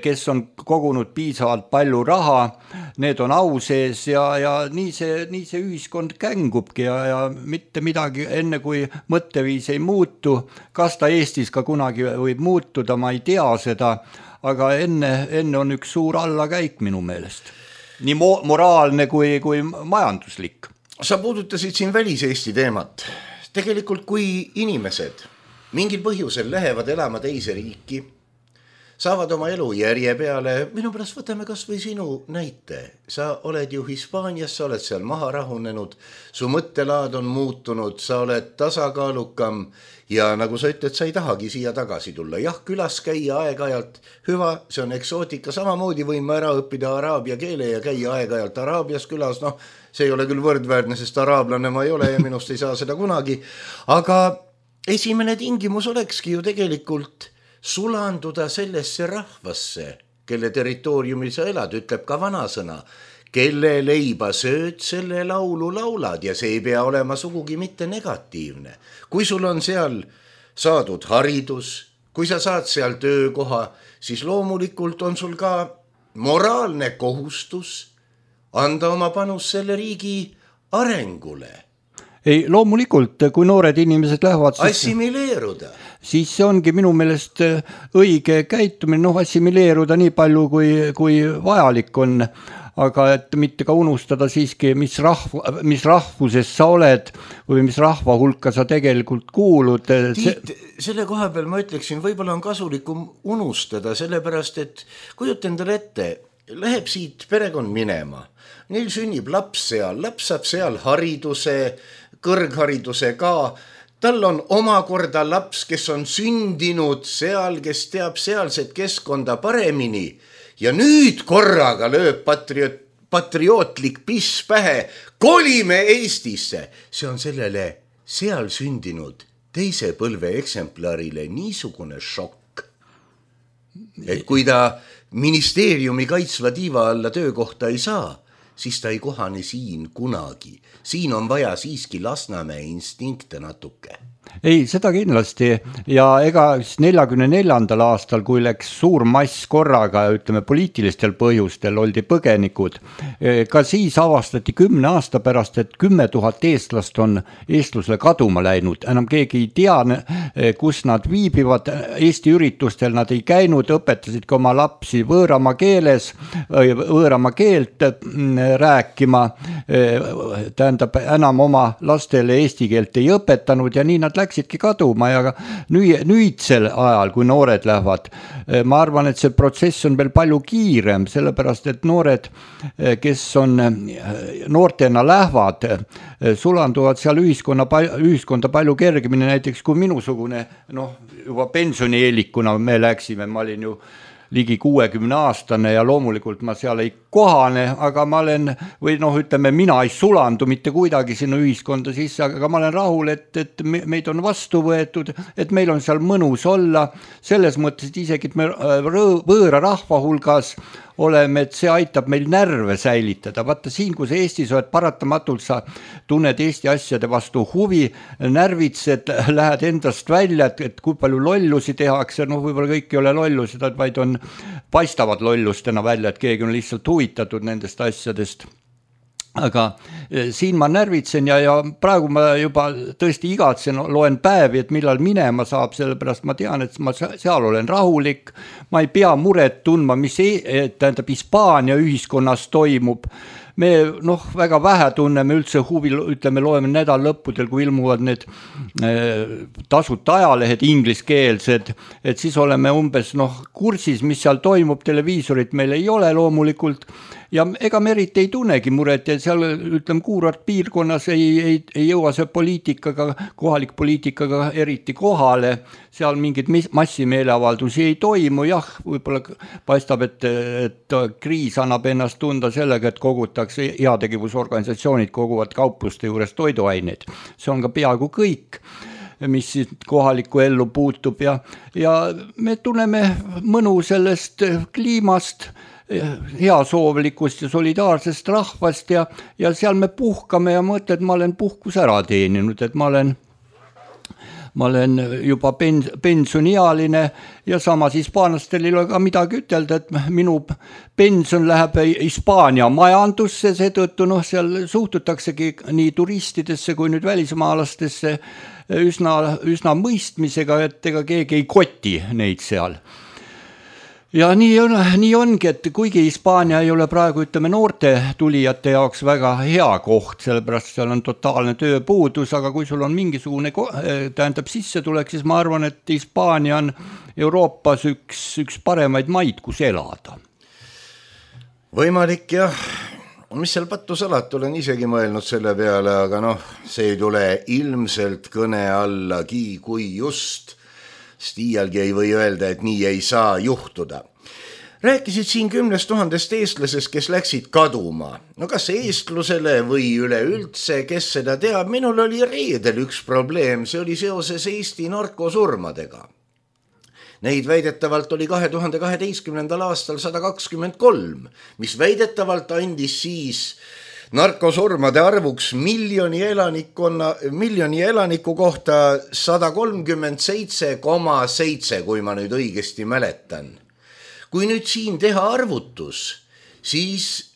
kes on kogunud piisavalt palju raha, need on au sees ja nii see ühiskond kängubki ja mitte midagi enne kui mõtteviis ei muutu. Kas ta Eestis ka kunagi võib muutuda, ma ei tea seda, aga enne on üks suur allakäik minu meelest. Nii moraalne kui majanduslik. Sa puudutasid siin välis-Eesti teemat. Tegelikult kui inimesed mingil põhjusel lähevad elama teise riiki, saavad oma elu järje peale, minu pärast võtame kas või sinu näite. Sa oled ju Hispaanias, sa oled seal maha rahunenud, su mõttelaad on muutunud, sa oled tasakaalukam ja nagu sa ütled, sa ei tahagi siia tagasi tulla. Jah, külas käia aeg-ajalt hüva, see on eksootika, samamoodi võime ära õppida araabia keele ja käia aeg-ajalt Araabias külas, see ei ole küll võrdväärne, sest araablane ma ei ole ja minust ei saa seda kunagi, aga esimene tingimus olekski ju tegelikult sulanduda sellesse rahvasse, kelle territooriumil sa elad, ütleb ka vanasõna, kelle leiba sööd, selle laulu laulad ja see ei pea olema sugugi mitte negatiivne. Kui sul on seal saadud haridus, kui sa saad seal töökoha, siis loomulikult on sul ka moraalne kohustus anda oma panus selle riigi arengule. Ei, loomulikult, kui noored inimesed lähevad assimileeruda. Siis see ongi minu meelest õige käitumine, assimileeruda nii palju kui vajalik on, aga et mitte ka unustada siiski, mis rahvuses sa oled või mis rahva hulka sa tegelikult kuulud. Tiit, selle koha peal ma ütleksin, võib-olla on kasulikum unustada, sellepärast et kujuta endale ette, läheb siit perekond minema. Neil sünnib laps saab seal hariduse, kõrghariduse ka. Tal on omakorda laps, kes on sündinud seal, kes teab sealset keskkonda paremini. Ja nüüd korraga lööb patriootlik piss pähe. Kolime Eestisse. See on sellele seal sündinud teise põlve eksemplarile niisugune šokk. Et kui ta ministeeriumi kaitsva tiiva alla töökohta ei saa, siis ta ei kohane siin kunagi. Siin on vaja siiski Lasnamäe instinkte natuke. Ei, seda kindlasti ja ega 44. aastal, kui läks suur mass korraga, ütleme poliitilistel põhjustel oldi põgenikud, ka siis avastati 10 aasta pärast, et 10 000 eestlast on eestlusele kaduma läinud. Enam keegi ei tea, kus nad viibivad. Eesti üritustel nad ei käinud, õpetasid ka oma lapsi võõrama keelt rääkima. Tähendab, enam oma lastele eesti keelt ei õpetanud ja nii nad nad läksidki kaduma ja nüüdsel ajal, kui noored lähevad, ma arvan, et see protsess on veel palju kiirem, sellepärast et noored, kes on noortena lähevad, sulanduvad seal ühiskonda palju kergemini, näiteks kui minusugune, juba pensionieelikuna me läksime, ma olin ju ligi 60-aastane ja loomulikult ma seal ei kohane, aga ma olen, või mina ei sulandu mitte kuidagi sinna ühiskonda sisse, aga ma olen rahul, et meid on vastu võetud, et meil on seal mõnus olla, selles mõttes, et isegi et me võõra rahva hulgas oleme, et see aitab meil närve säilitada. Vaata siin, kus Eestis oled, paratamatult sa tunned Eesti asjade vastu huvi, närvitsed, lähed endast välja, et kui palju lollusi tehakse, võib-olla kõik ei ole lollusid, vaid paistavad lollustena välja, et keegi on lihtsalt huvitatud nendest asjadest. Aga siin ma närvitsen ja praegu ma juba tõesti igatsen, loen päevi, et millal minema saab, sellepärast ma tean, et ma seal olen rahulik, ma ei pea muret tundma, mis tähendab Hispaania ühiskonnas toimub. Me väga vähe tunneme üldse huvi, ütleme, loeme nädal lõppudel, kui ilmuvad need tasuta ajalehed ingliskeelsed, et siis oleme umbes kursis, mis seal toimub, televiisorit meil ei ole loomulikult ja ega me eriti ei tunnegi muret ja seal, ütleme, Kuurart piirkonnas ei jõua see kohalik poliitikaga eriti kohale, seal mingid massimeeleavaldusi ei toimu, jah, võib-olla paistab, et kriis annab ennast tunda sellega, et kogutakse, heategevusorganisatsioonid koguvad kaupluste juures toiduaineid. See on ka peaaegu kõik, mis kohalikku ellu puutub ja me tunneme mõnu sellest kliimast, heasoovlikust ja solidaarsest rahvast ja seal me puhkame ja mõtled, et ma olen puhkus ära teeninud, et ma olen juba pensioniealine ja samas hispaanlastel ei ole ka midagi ütelda, et minu pension läheb Hispaania majandusse, seetõttu seal suhtutaksegi nii turistidesse kui nüüd välismaalastesse üsna mõistmisega, et ega keegi ei koti neid seal. Ja nii ongi, et kuigi Hispaania ei ole praegu, ütleme, noorte tulijate jaoks väga hea koht, sellepärast seal on totaalne tööpuudus, aga kui sul on mingisugune tähendab sissetulek, siis ma arvan, et Hispaania on Euroopas üks paremaid maid, kus elada. Võimalik jah, mis seal pattu salata, olen isegi mõelnud selle peale, aga see ei tule ilmselt kõne allagi, kui just Stiialgi ei või öelda, et nii ei saa juhtuda. Rääkisid siin 10 000 eestlasest, kes läksid kaduma. Kas eestlusele või üleüldse, kes seda teab, minul oli reedel üks probleem, see oli seoses Eesti narkosurmadega. Neid väidetavalt oli 2012. aastal 123, mis väidetavalt andis siis narkosurmade arvuks miljoni elaniku kohta 137,7, kui ma nüüd õigesti mäletan. Kui nüüd siin teha arvutus, siis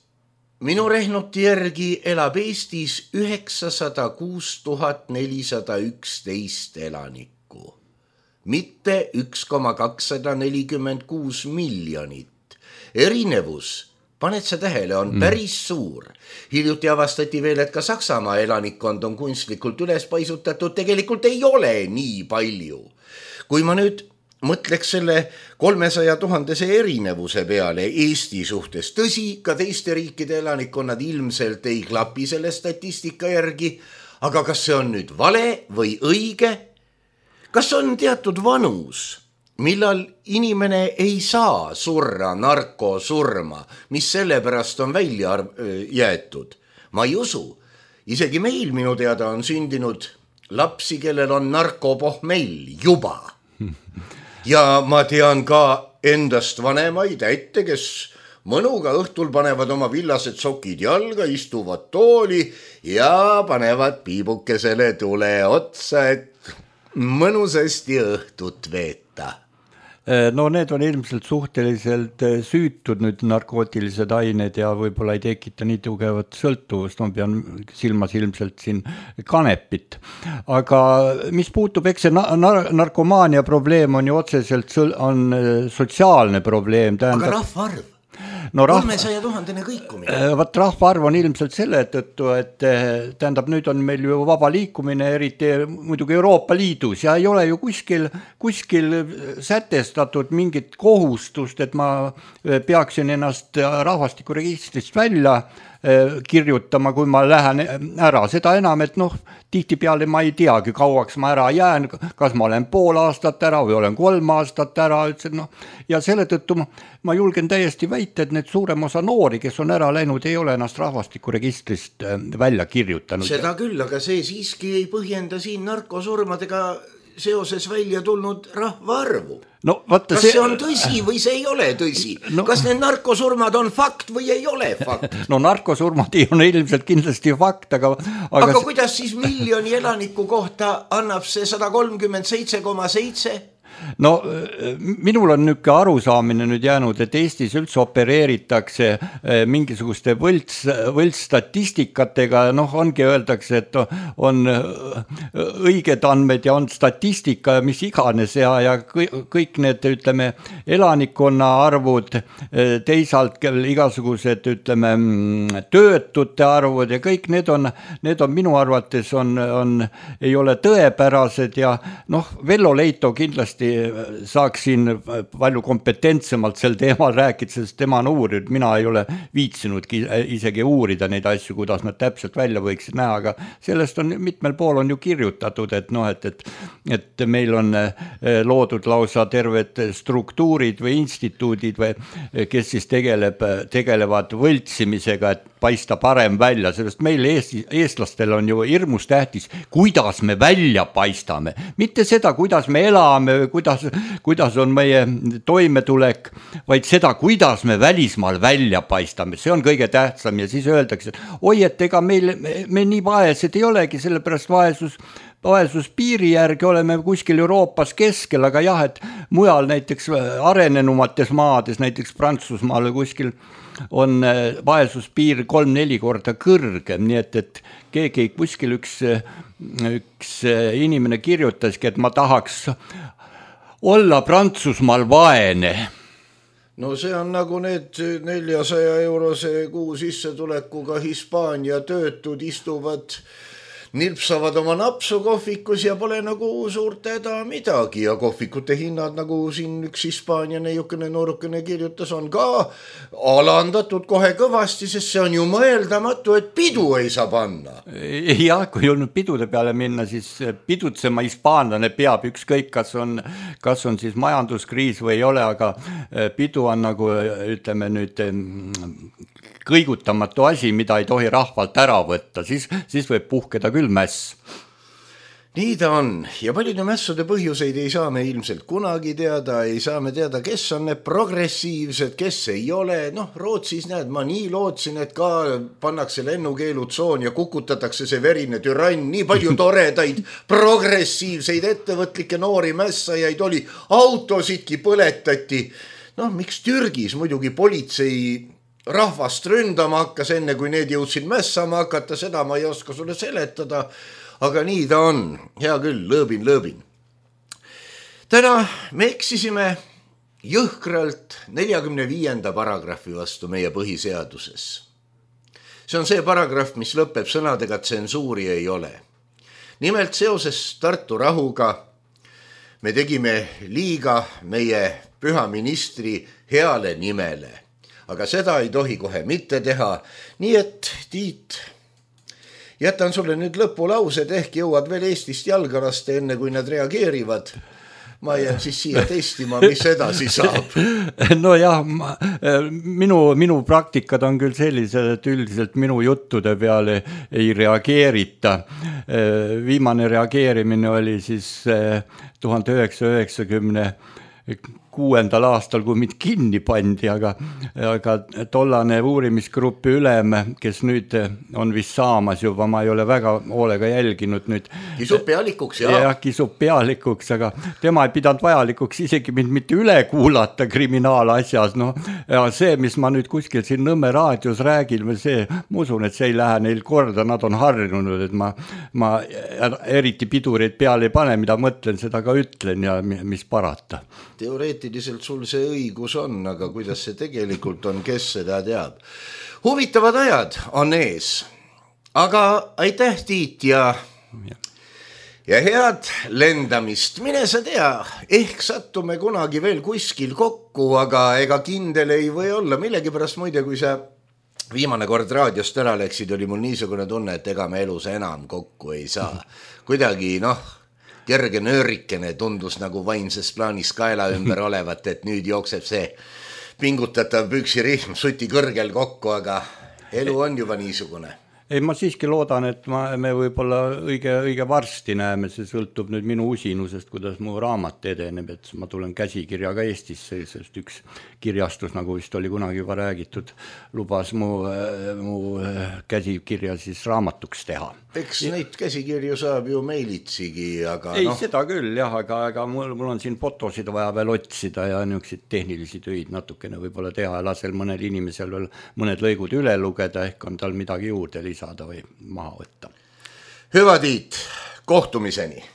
minu rehnuti järgi elab Eestis 906 411 elanikku, mitte 1,246 miljonit. Erinevus, paned sa tähele, on päris suur. Hiljuti avastati veel, et ka Saksamaa elanikkond on kunstlikult üles paisutatud, tegelikult ei ole nii palju. Kui ma nüüd mõtleks selle 300 000 erinevuse peale Eesti suhtes, tõsi, ka teiste riikide elanikkonnad ilmselt ei klapi selle statistika järgi, aga kas see on nüüd vale või õige? Kas on teatud vanus, millal inimene ei saa surra narkosurma, mis sellepärast on välja jäetud? Ma ei usu. Isegi meil minu teada on sündinud lapsi, kellel on narkopohmell juba. Ja ma tean ka endast vanemaid ätte, kes mõnuga õhtul panevad oma villased sokid jalga, istuvad tooli ja panevad piibukesele tule otsa, et mõnusasti õhtut veeta. No need on ilmselt suhteliselt süütud nüüd narkootilised ained ja võib-olla ei tekita nii tugevat sõltuvust, ma pean silmas ilmselt siin kanepit. Aga mis puutub, eks see narkomaania probleem on ju otseselt on sotsiaalne probleem. Aga rahvaarv? no 300 000 kõikumine. Vaat rahvaarv on ilmselt selle tõttu, et tähendab, nüüd on meil ju vaba liikumine, eriti muidugi Euroopa Liidus ja ei ole ju kuskil sätestatud mingit kohustust, et ma peaksin ennast rahvastikuregistrist välja kirjutama, kui ma lähen ära. Seda enam, et tihtipeale ma ei teagi, kauaks ma ära jään, kas ma olen pool aastat ära või olen 3 aastat ära. Ja selle tõttu ma julgen täiesti väita, et need suurem osa noori, kes on ära läinud, ei ole ennast rahvastikuregistrist välja kirjutanud. Seda küll, aga see siiski ei põhjenda siin narkosurmadega seoses välja tulnud rahvaarvu. No, vaata, kas see on tõsi või see ei ole tõsi? Kas need narkosurmad on fakt või ei ole fakt? No narkosurmad on ilmselt kindlasti fakt, aga kuidas siis miljoni elaniku kohta annab see 137,7? No minul on niisugune arusaamine nüüd jäänud, et Eestis üldse opereeritakse mingisuguste võltsstatistikatega, ongi öeldakse, et on õiged andmed ja on statistika ja mis iganes ja kõik need, ütleme, elanikkonna arvud, teisalt igasugused, ütleme, töötute arvud ja kõik need on minu arvates ei ole tõepärased ja Vello Leito kindlasti saaks siin palju kompetentsemalt sel teemal rääkida, sest tema on uurinud, mina ei ole viitsinudki isegi uurida neid asju, kuidas nad täpselt välja võiksid näha, aga sellest on mitmel pool on ju kirjutatud, et meil on loodud lausa terved struktuurid või instituudid, kes siis tegelevad võltsimisega, et paista parem välja, sellest meil eestlastel on ju hirmus tähtis, kuidas me välja paistame, mitte seda, kuidas me elame, kuidas on meie toimetulek, vaid seda, kuidas me välismaal välja paistame, see on kõige tähtsam ja siis öeldakse, et oi, et ega me nii vaesed ei olegi, sellepärast vaesuspiiri järgi oleme kuskil Euroopas keskel, aga jah, et mujal näiteks arenenumates maades, näiteks Prantsusmaal kuskil on vaesuspiir 3-4 korda kõrgem, nii et keegi kuskil üks inimene kirjutaski, et ma tahaks olla Prantsusmaal vaene. No see on nagu need 400 eurose kuu sissetulekuga Hispaania töötud istuvad, nilpsavad oma napsu kohvikus ja pole nagu suurt häda midagi ja kohvikute hinnad, nagu siin üks Hispaania neiukene noorukene kirjutas, on ka alandatud kohe kõvasti, sest see on ju mõeldamatu, et pidu ei saa panna. Jah, kui on pidude peale minna, siis pidutsema hispaanlane peab ükskõik, kas on siis majanduskriis või ei ole, aga pidu on nagu, ütleme nüüd, kõigutamatu asi, mida ei tohi rahvalt ära võtta, siis võib puhkeda küll mäss. Nii ta on ja paljude mässude põhjuseid ei saa me ilmselt kunagi teada, ei saa me teada, kes on need progressiivsed, kes ei ole. Rootsis näed, ma nii lootsin, et ka pannakse lennukeelutsoon ja kukutatakse see verine türann, nii palju toredaid progressiivseid ettevõtlikke noori mässajaid oli, autosidki põletati. Miks Türgis muidugi politsei rahvast ründama hakkas enne, kui need jõudsid mässama hakata, seda ma ei oska sulle seletada, aga nii ta on. Hea küll, lõõbin. Täna me eksisime jõhkralt 45. paragrahvi vastu meie põhiseaduses. See on see paragrahv, mis lõpeb sõnadega, tsensuuri ei ole. Nimelt seoses Tartu rahuga me tegime liiga meie püha ministri heale nimele. Aga seda ei tohi kohe mitte teha. Nii et, Tiit, jätan sulle nüüd lõpulaused, ehk jõuad veel Eestist jalgarast enne, kui nad reageerivad. Ma jään siis siia testima, mis edasi saab. No jah, minu praktikad on küll sellised, et üldiselt minu juttude peale ei reageerita. Viimane reageerimine oli siis 1996. aastal, kui mind kinni pandi, aga tollane uurimisgrupi ülem, kes nüüd on vist saamas juba, ma ei ole väga hoolega jälginud nüüd. Kisub pealikuks, jah. Jah, kisub pealikuks, aga tema ei pidanud vajalikuks isegi mind mitte üle kuulata kriminaalasjas. Ja see, mis ma nüüd kuskil siin Nõmme raadios räägin, ma usun, et see ei lähe neil korda, nad on harjunud, et ma eriti pidureid peale ei pane, mida mõtlen, seda ka ütlen ja mis parata. Teoreetiliselt teoreetiliselt sul see õigus on, aga kuidas see tegelikult on, kes seda teab. Huvitavad ajad on ees, aga aitäh Tiit ja head lendamist. Mine sa tea, ehk sattume kunagi veel kuskil kokku, aga ega kindel ei või olla. Millegipärast muide, kui sa viimane kord raadiost ära läksid, oli mul niisugune tunne, et ega me elus enam kokku ei saa. Kuidagi kerge nöörikene tundus nagu vaimses plaanis kaela ümber olevat, et nüüd jookseb see pingutatav püksirihm suti kõrgel kokku, aga elu on juba niisugune. Ei, ma siiski loodan, et me võib-olla õige varsti näeme, see sõltub nüüd minu usinusest, kuidas mu raamat edeneb, et ma tulen käsikirjaga Eestisse, sest üks kirjastus, nagu vist oli kunagi juba räägitud, lubas mu käsikirja siis raamatuks teha. Eks neid käsikirju saab ju meilitsigi, aga ei, seda küll, jah, aga mul on siin fotosid vaja veel otsida ja niisuguseid tehnilisi töid natukene võib-olla teha ja lasel mõnel inimesel veel mõned lõigud üle lugeda, ehk on tal midagi juurde lisada või maha võtta. Hüva Tiit, kohtumiseni!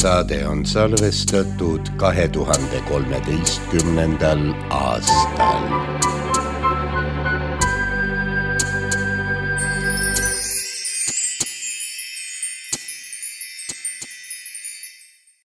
saade on salvestatud 2013. aastal.